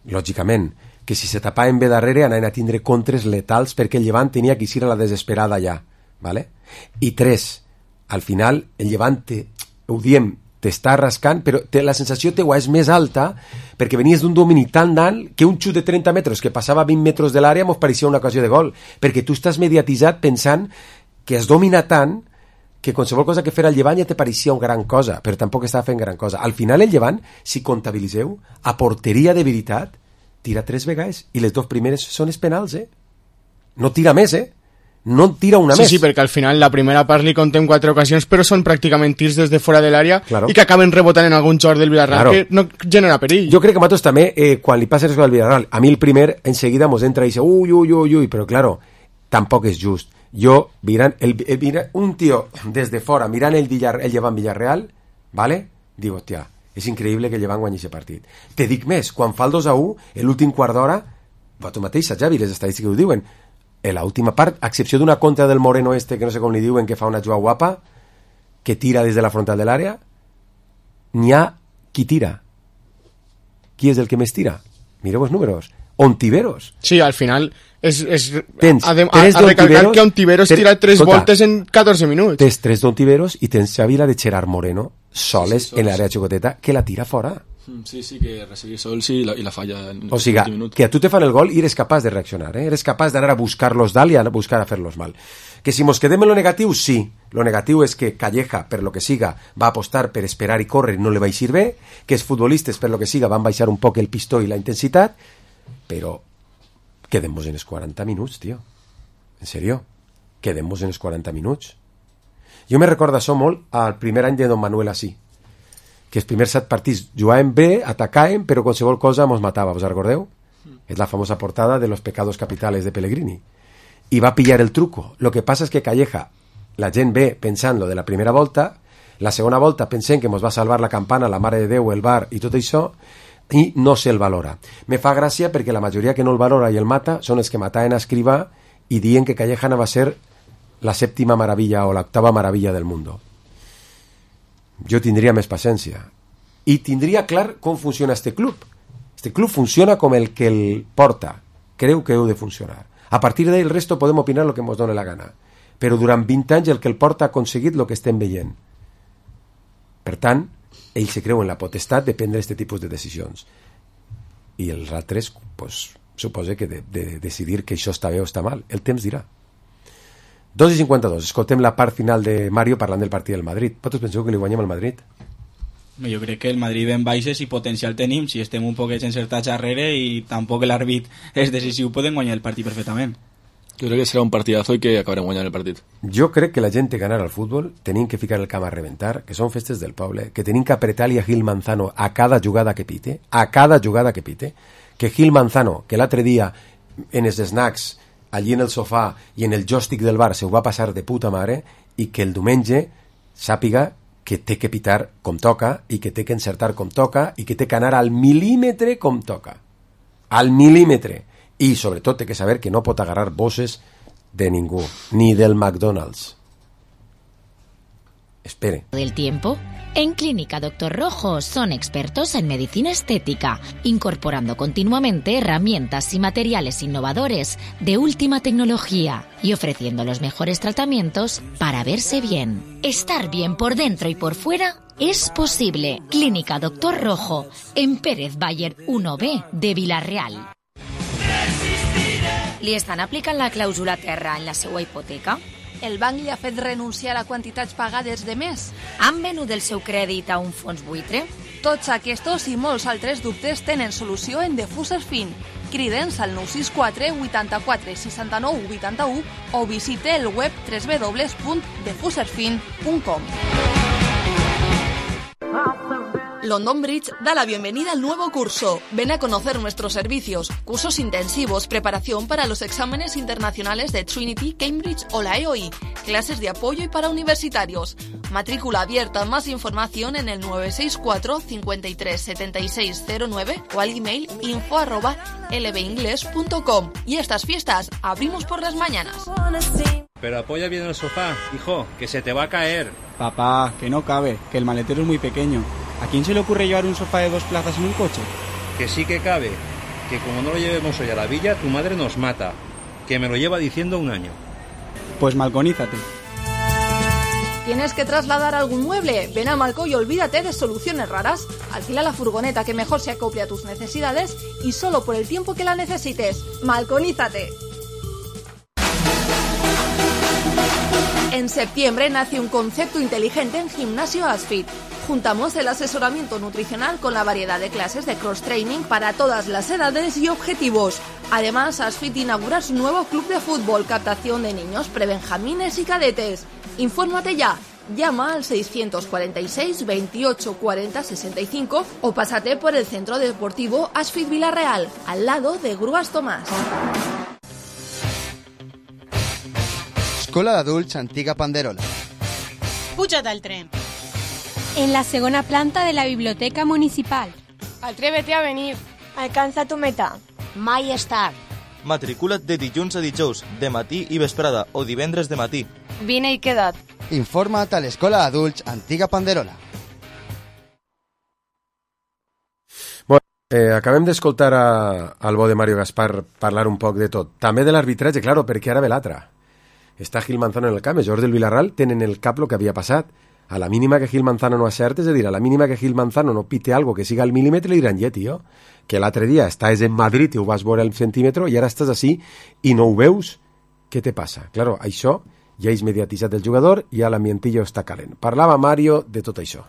lògicament, que si se tapaven bé darrere anaven a tindre contres letals perquè el Llevant tenia que ir a la desesperada allà. ¿Vale? I 3, al final el Llevant ho diem, t'està rascant, però la sensació teua és més alta perquè venies d'un domini tan dalt que un xut de 30 metres que passava a 20 metres de l'àrea mos pareixia una ocasió de gol, perquè tu estàs mediatitzat pensant que has dominat tant que qualsevol cosa que fera el Llevant ja te pareixia una gran cosa, però tampoc estava fent gran cosa. Al final el Llevant, si comptabilitzeu, a porteria de veritat tira 3 vegades i les 2 primeres són els penals, no tira més, no tira una més. Sí, perquè al final la primera part li contem 4 ocasions, però són pràcticament tirs des de fora de l'àrea, claro, i que acaben rebotant en algun jugador del Villarreal, claro, que no genera perill. Jo crec que a nosaltres també, quan li passa res al Villarreal, a mi el primer enseguida mos entra i dice uy, però claro, tampoc és just. Jo, mirant un tio des de fora, mirant el Llevant Villarreal, ¿vale? Digo, hòstia, és increïble que el Llevant guanyi aquest partit. Te dic més, quan fa el 2-1, l'últim quart d'hora, tu mateix, Javi, les estadístiques ho diuen, en l'última part, a excepció d'una contra del Moreno que no sé com li diuen, que fa una jugada guapa, que tira des de la frontal de l'àrea, n'hi ha qui tira. Qui és el que més tira? Mireu els números. Ontiveros. Sí, al final a recalcar que Ontiveros tira 3 voltes en 14 minuts. Tens 3 d'Ontiveros i tens Xavi la de Gerard Moreno soles en l'àrea xicoteta que la tira fora. Sí, que recibir sols i la falla en o sigui, que a tu te fan el gol i eres capaç de reaccionar, eres capaç d'anar a buscar-los dalt i a buscar a fer-los mal. Que si mos quedem en lo negatiu, sí. Lo negatiu és que Calleja, per lo que siga, va apostar per esperar i córrer, no li va eixir bé, que els futbolistes, per lo que siga, van baixar un poc el pistó i la intensitat, però quedem-nos en els 40 minuts, tio. En sèrio, quedem-nos en els 40 minuts. Jo me recordo això molt al primer any de Don Manuel Así, que els primers 7 partits jugàvem bé, atacàvem, però qualsevol cosa mos matava, vos recordeu? És la famosa portada de los pecados capitales de Pellegrini. I va pillar el truco. Lo que passa és que Calleja, la gent ve pensant lo de la primera volta, la segona volta pensem que mos va salvar la campana, la Mare de Déu, el bar i tot això, i no se'l valora. Me fa gràcia perquè la majoria que no el valora i el mata són els que mataven a Escrivà i diuen que Calleja no va ser la 7ª maravilla o la 8ª maravilla del mundo. Jo tindria més paciència i tindria clar com funciona este club. Este club funciona com el que el porta creu que heu de funcionar. A partir d'ell el resto podem opinar el que ens doni la gana, però durant 20 anys el que el porta ha aconseguit el que estem veient. Per tant, ell se creu en la potestat de prendre aquest tipus de decisions i els altres pues, suposa que de decidir que això està bé o està mal. El temps dirà. 2:52, escoltem la part final de Mario parlant del partit del Madrid. Vosaltres penseu que li guanyem al Madrid? No, jo crec que el Madrid en baixes i potencial tenim, si estem un poquet encertats darrere i tampoc l'àrbit és decisiu, podem guanyar el partit perfectament. Jo crec que serà un partidazo i que acabarem guanyant el partit. Jo crec que la gent té ganar al futbol, tenim que ficar el camp a reventar, que són festes del poble, que tenim que apretar-li a Gil Manzano a cada jugada que pite, que Gil Manzano, que l'altre dia en els snacks allí en el sofà i en el joystick del bar se ho va passar de puta mare i que el diumenge sàpiga que té que pitar com toca i que té que encertar com toca i que té que anar al mil·límetre com toca. Al mil·límetre. I sobretot té que saber que no pot agarrar bosses de ningú, ni del McDonald's. Espere. Del tiempo. En Clínica Dr. Rojo son expertos en medicina estética, incorporando continuamente herramientas y materiales innovadores de última tecnología y ofreciendo los mejores tratamientos para verse bien. Estar bien por dentro y por fuera es posible. Clínica Dr. Rojo, en Pérez Bayer 1B de Vilareal. Li estan aplicant la clàusula terra en la seva hipoteca? El banc li ha fet renunciar a quantitats pagades de més? Han venut el seu crèdit a un fons buitre? Tots aquests i molts altres dubtes tenen solució en Defuser Fin. Crida'ns al 964 84 69 81 o visite el web www.defuserfin.com. London Bridge da la bienvenida al nuevo curso. Ven a conocer nuestros servicios, cursos intensivos, preparación para los exámenes internacionales de Trinity, Cambridge o la EOI, clases de apoyo y para universitarios. Matrícula abierta. Más información en el 964 53 76 09 o al email info@lbingles.com. Y estas fiestas abrimos por las mañanas. Pero apoya bien el sofá, hijo, que se te va a caer. Papá, que no cabe, que el maletero es muy pequeño. ¿A quién se le ocurre llevar un sofá de 2 plazas en un coche? Que sí que cabe, que como no lo llevemos hoy a la villa, tu madre nos mata. Que me lo lleva diciendo un año. Pues malconízate. ¿Tienes que trasladar algún mueble? Ven a Malco y olvídate de soluciones raras. Alquila la furgoneta que mejor se acople a tus necesidades y solo por el tiempo que la necesites. ¡Malconízate! En septiembre nace un concepto inteligente en Gimnasio Asfit. Juntamos el asesoramiento nutricional con la variedad de clases de cross-training para todas las edades y objetivos. Además, Asfit inaugura su nuevo club de fútbol, captación de niños, prebenjamines y cadetes. Infórmate ya. Llama al 646 28 40 65 o pásate por el Centro Deportivo Asfit Villarreal, al lado de Grúas Tomàs. Escola d'Adults Antiga Panderola. Puja't al tren. En la segona planta de la Biblioteca Municipal. Atrévete a venir. Alcanza tu meta. Mai és tard. Matricula't de dilluns a dijous, de matí i vesprada, o divendres de matí. Vine i queda't. Informa't a l'Escola d'Adults Antiga Panderola. Acabem d'escoltar al bo de Mario Gaspar parlar un poc de tot. També de l'arbitratge, claro, perquè ara ve l'altre. Està Gil Manzano en el camp, els jugadors del Villarreal tenen el cap el que havia passat. A la mínima que Gil Manzano no acerte, és a dir, a la mínima que Gil Manzano no pite algo que siga al milímetre, li diran, tio, que l'altre dia estàs en Madrid i ho vas veure al centímetre i ara estàs així i no ho veus, què te passa? Claro, això ja és mediatitzat el jugador i ja l'ambientillo està calent. Parlava Mario de tot això.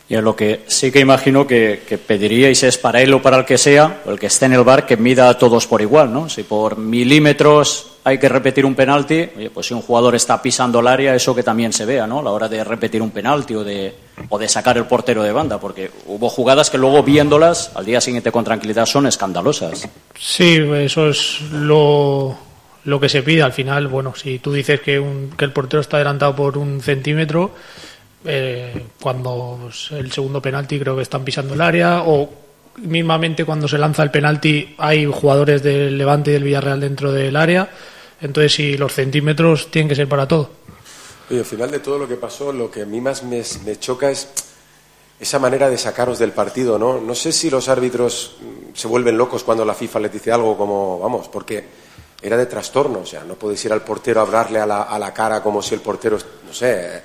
Yo lo que sí que imagino que pediríais es para él o para el que sea, o el que esté en el bar, que mida a todos por igual, ¿no? Si por milímetros hay que repetir un penalti, oye, pues si un jugador está pisando el área, eso que también se vea, ¿no? A la hora de repetir un penalti o de sacar el portero de banda, porque hubo jugadas que luego viéndolas al día siguiente con tranquilidad son escandalosas. Sí, eso es lo que se pide al final. Bueno, si tú dices que el portero está adelantado por 1 centímetro, cuando el segundo penalti creo que están pisando el área, o mismamente cuando se lanza el penalti hay jugadores del Levante y del Villarreal dentro del área, entonces si los centímetros tienen que ser para todo. Oye, al final de todo lo que pasó, lo que a mí más me choca es esa manera de sacaros del partido, ¿no? No sé si los árbitros se vuelven locos cuando la FIFA les dice algo como, vamos, porque era de trastorno, o sea, no podéis ir al portero a hablarle a la cara como si el portero, no sé.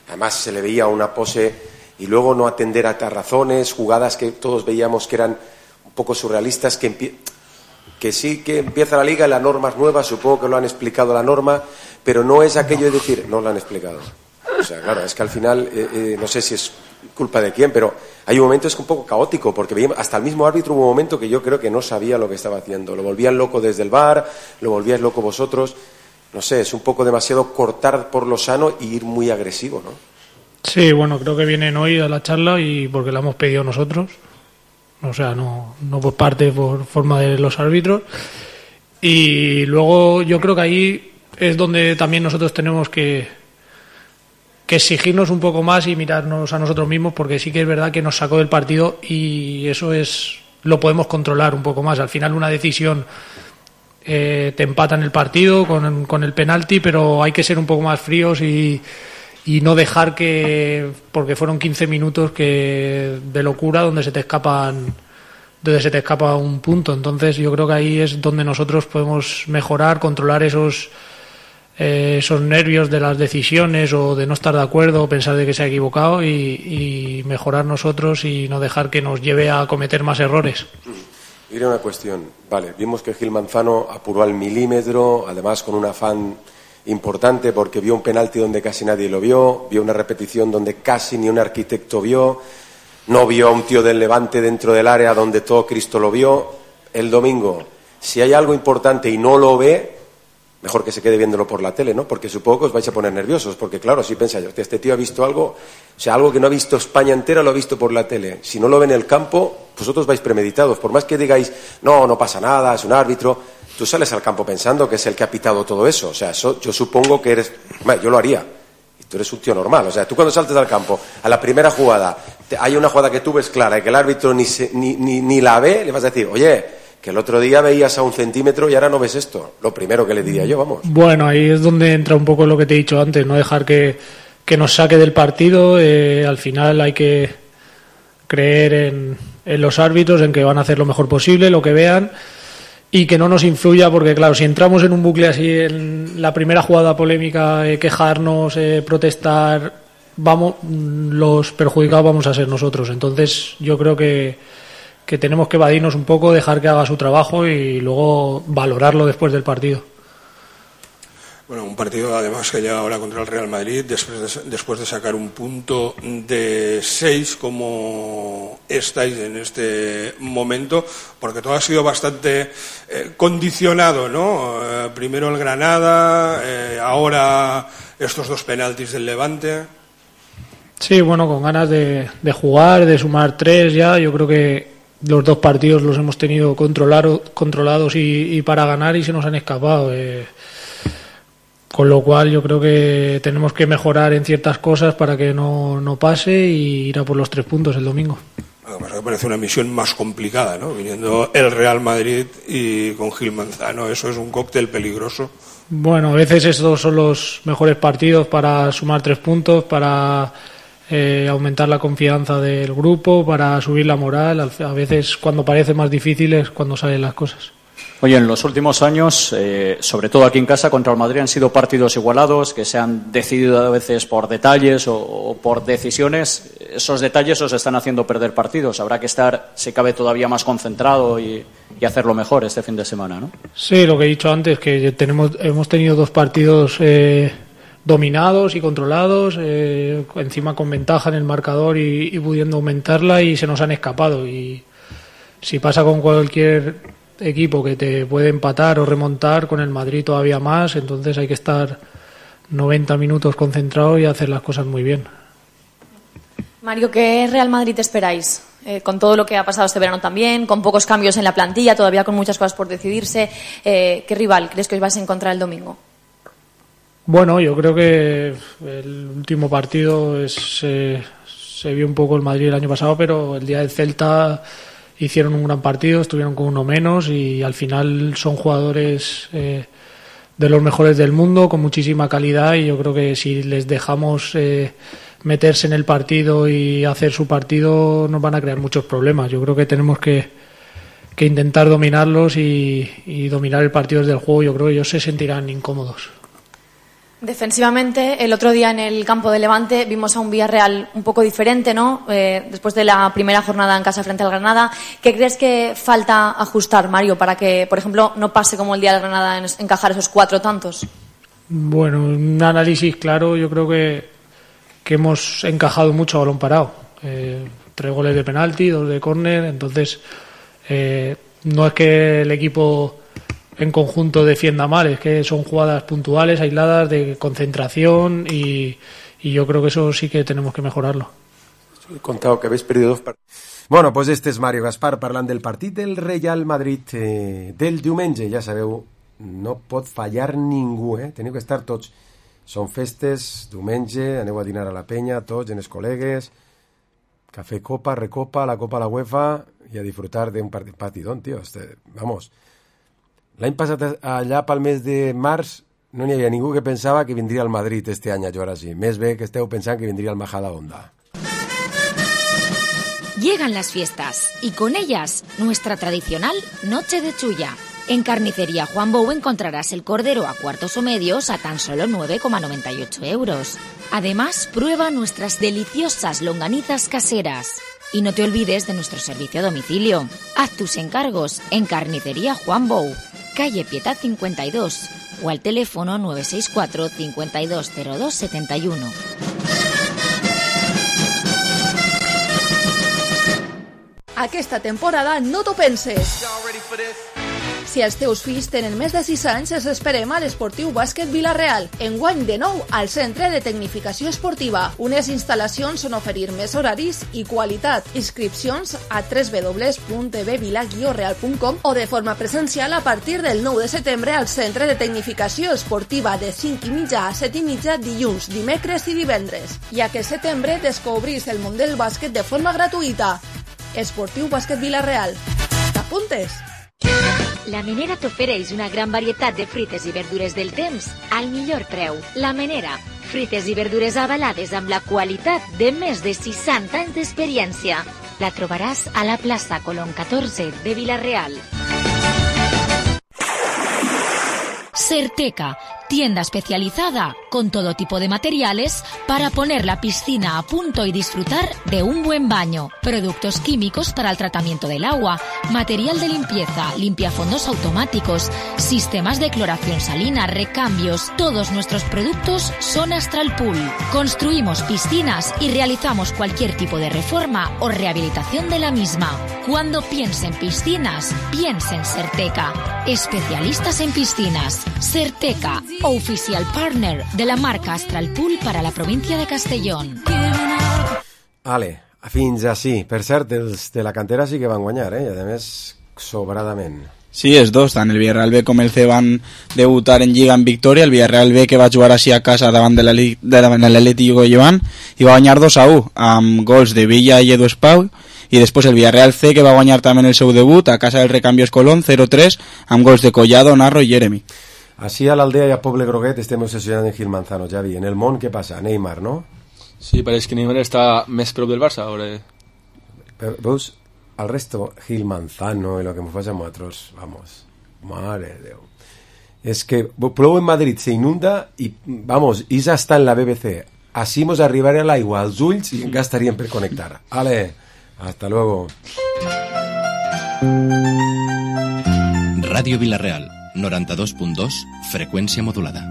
Además se le veía una pose y luego no atender a razones, jugadas que todos veíamos que eran un poco surrealistas, que sí que empieza la liga y la norma es nueva, supongo que lo han explicado la norma, pero no es aquello de decir, no lo han explicado. O sea, claro, es que al final, no sé si es culpa de quién, pero hay un momento es un poco caótico, porque veíamos, hasta el mismo árbitro hubo un momento que yo creo que no sabía lo que estaba haciendo. Lo volvían loco desde el VAR, lo volvíais loco vosotros. No sé, es un poco demasiado cortar por lo sano y ir muy agresivo, ¿no? Sí, bueno, creo que vienen hoy a la charla y porque la hemos pedido nosotros, o sea, no por parte, por forma de los árbitros. Y luego yo creo que ahí es donde también nosotros tenemos que exigirnos un poco más y mirarnos a nosotros mismos, porque sí que es verdad que nos sacó del partido y eso lo podemos controlar un poco más. Al final una decisión te empatan el partido con el penalti, pero hay que ser un poco más fríos y no dejar porque fueron 15 minutos de locura donde se te escapa un punto. Entonces yo creo que ahí es donde nosotros podemos mejorar, controlar esos nervios de las decisiones o de no estar de acuerdo o pensar de que se ha equivocado y mejorar nosotros y no dejar que nos lleve a cometer más errores. Diré una cuestión. Vale, vimos que Gil Manzano apuró al milímetro, además con un afán importante porque vio un penalti donde casi nadie lo vio una repetición donde casi ni un arquitecto vio, no vio a un tío del Levante dentro del área donde todo Cristo lo vio. El domingo, si hay algo importante y no lo ve, mejor que se quede viéndolo por la tele, ¿no? Porque supongo que os vais a poner nerviosos, porque claro, si pensáis, este tío ha visto algo, o sea, algo que no ha visto España entera, lo ha visto por la tele. Si no lo ve en el campo, vosotros vais premeditados. Por más que digáis, no pasa nada, es un árbitro, tú sales al campo pensando que es el que ha pitado todo eso. O sea, eso yo supongo que eres... Bueno, yo lo haría. Y tú eres un tío normal. O sea, tú cuando saltes al campo, a la primera jugada, hay una jugada que tú ves clara y que el árbitro ni la ve, le vas a decir, oye, que el otro día veías a 1 centímetro y ahora no ves esto. Lo primero que le diría yo, vamos. Bueno, ahí es donde entra un poco lo que te he dicho antes, no dejar que nos saque del partido. Al final hay que creer en los árbitros, en que van a hacer lo mejor posible, lo que vean, y que no nos influya, porque claro, si entramos en un bucle así, en la primera jugada polémica, quejarnos, protestar, los perjudicados vamos a ser nosotros. Entonces yo creo que tenemos que evadirnos un poco, dejar que haga su trabajo y luego valorarlo después del partido. Bueno, un partido además que llega ahora contra el Real Madrid después de sacar un punto de 6 como estáis en este momento, porque todo ha sido bastante condicionado, ¿no? Primero el Granada, ahora estos 2 penaltis del Levante. Sí, bueno, con ganas de jugar, de sumar 3 ya. Yo creo que los 2 partidos los hemos tenido controlados y para ganar, y se nos han escapado. Con lo cual yo creo que tenemos que mejorar en ciertas cosas para que no pase, y ir a por los 3 puntos el domingo. Además me parece una misión más complicada, ¿no? Viniendo el Real Madrid y con Gil Manzano, eso es un cóctel peligroso. Bueno, a veces estos son los mejores partidos para sumar 3 puntos, para aumentar la confianza del grupo, para subir la moral. A veces cuando parece más difícil es cuando salen las cosas. Oye, en los últimos años, sobre todo aquí en casa contra el Madrid, han sido partidos igualados, que se han decidido a veces por detalles o por decisiones. Esos detalles os están haciendo perder partidos. Habrá que estar, si cabe, todavía más concentrado y hacerlo mejor este fin de semana, ¿no? Sí, lo que he dicho antes, que hemos tenido 2 partidos dominados y controlados, encima con ventaja en el marcador y pudiendo aumentarla, y se nos han escapado. Y si pasa con cualquier equipo que te puede empatar o remontar, con el Madrid todavía más, entonces hay que estar 90 minutos concentrado y hacer las cosas muy bien. Mario, ¿qué Real Madrid esperáis? Con todo lo que ha pasado este verano también, con pocos cambios en la plantilla, todavía con muchas cosas por decidirse, ¿qué rival crees que os vais a encontrar el domingo? Bueno, yo creo que el último partido se vio un poco el Madrid el año pasado, pero el día del Celta hicieron un gran partido, estuvieron con uno menos, y al final son jugadores de los mejores del mundo, con muchísima calidad, y yo creo que si les dejamos meterse en el partido y hacer su partido, nos van a crear muchos problemas. Yo creo que tenemos que intentar dominarlos y dominar el partido desde el juego. Yo creo que ellos se sentirán incómodos. Defensivamente, el otro día en el campo de Levante vimos a un Villarreal un poco diferente, ¿no? Después de la primera jornada en casa frente al Granada. ¿Qué crees que falta ajustar, Mario, para que, por ejemplo, no pase como el día del Granada en encajar esos 4 tantos? Bueno, un análisis claro, yo creo que hemos encajado mucho a balón parado. 3 goles de penalti, 2 de córner, entonces no es que el equipo en conjunto defienda mal, es que son jugadas puntuales, aisladas, de concentración, y yo creo que eso sí que tenemos que mejorarlo. He contado que habéis perdido 2 partidos. Bueno, pues este és Mario Gaspar parlant del partit del Real Madrid del diumenge. Ja sabeu, no pot fallar ningú, teniu que estar tots. Són festes, diumenge, aneu a dinar a la penya, tots, en els col·legues, café copa, recopa, la copa a la UEFA, i a disfrutar d'un partidón, tío. Vamos. L'any passat allà pel mes de març no n'hi havia ningú que pensava que vindria al Madrid este any a jugar així. Més bé que esteu pensant que vindria al Majadahonda. Llegan las fiestas y con ellas nuestra tradicional Noche de Chulla. En Carnicería Juan Bou encontrarás el cordero a cuartos o medios a tan solo 9,98 €. Además, prueba nuestras deliciosas longanizas caseras. Y no te olvides de nuestro servicio a domicilio. Haz tus encargos en Carnicería Juan Bou, calle Pietad 52, o al teléfono 964 5202 71. Aquesta temporada no t'ho penses. Si els teus fills tenen més de 6 anys, els esperem a l'Esportiu Bàsquet Vila-real. Enguany de nou al Centre de Tecnificació Esportiva. Unes instal·lacions on oferir més horaris i qualitat. Inscripcions a www.bvila-real.com o de forma presencial a partir del 9 de setembre al Centre de Tecnificació Esportiva de 5:30 a 7:30 dilluns, dimecres i divendres. I aquest setembre descobrís el món del bàsquet de forma gratuïta. Esportiu Bàsquet Vila-real. T'apuntes? La Menera t'ofereix una gran varietat de fruites i verdures del temps al millor preu. La Menera, fruites i verdures avalades amb la qualitat de més de 60 anys d'experiència. La trobaràs a la plaça Colón 14 de Vila-real. Certeca, tienda especializada con todo tipo de materiales para poner la piscina a punto y disfrutar de un buen baño. Productos químicos para el tratamiento del agua, material de limpieza, limpiafondos automáticos, sistemas de cloración salina, recambios. Todos nuestros productos son Astral Pool. Construimos piscinas y realizamos cualquier tipo de reforma o rehabilitación de la misma. Cuando piense en piscinas, piense en Certeca. Especialistas en piscinas. Certeca, oficial partner de la marca Astral Pool para la provincia de Castellón. Ale, fins així. Per cert, els de la cantera sí que van guanyar, i a més sobradament. Sí, els dos, tant el Villarreal B com el C van debutar en Lliga en victòria. El Villarreal B, que va jugar així a casa davant de l'Atleti Llevant, i va guanyar 2-1 amb gols de Villa i Edu Espau. I després el Villarreal C, que va guanyar també el seu debut a casa del Recambios Colón 0-3 amb gols de Collado, Narro i Jeremy. Així a l'Aldea i a Poble Groguet estem obsessionats en Gil Manzano, Javi. En el món què passa? Neymar, no? Sí, pareix que Neymar està més prop del Barça ara. Veus? Al resto, Gil Manzano y lo que me pasa a nosotros, vamos, madre de Dios. Es que plou en Madrid, se inunda y, vamos, Isa está en la BBC. Así nos arribaré al aigua als ulls y encara estaríem per connectar. Ale, hasta luego. Radio Vila-real, 92.2, freqüència modulada.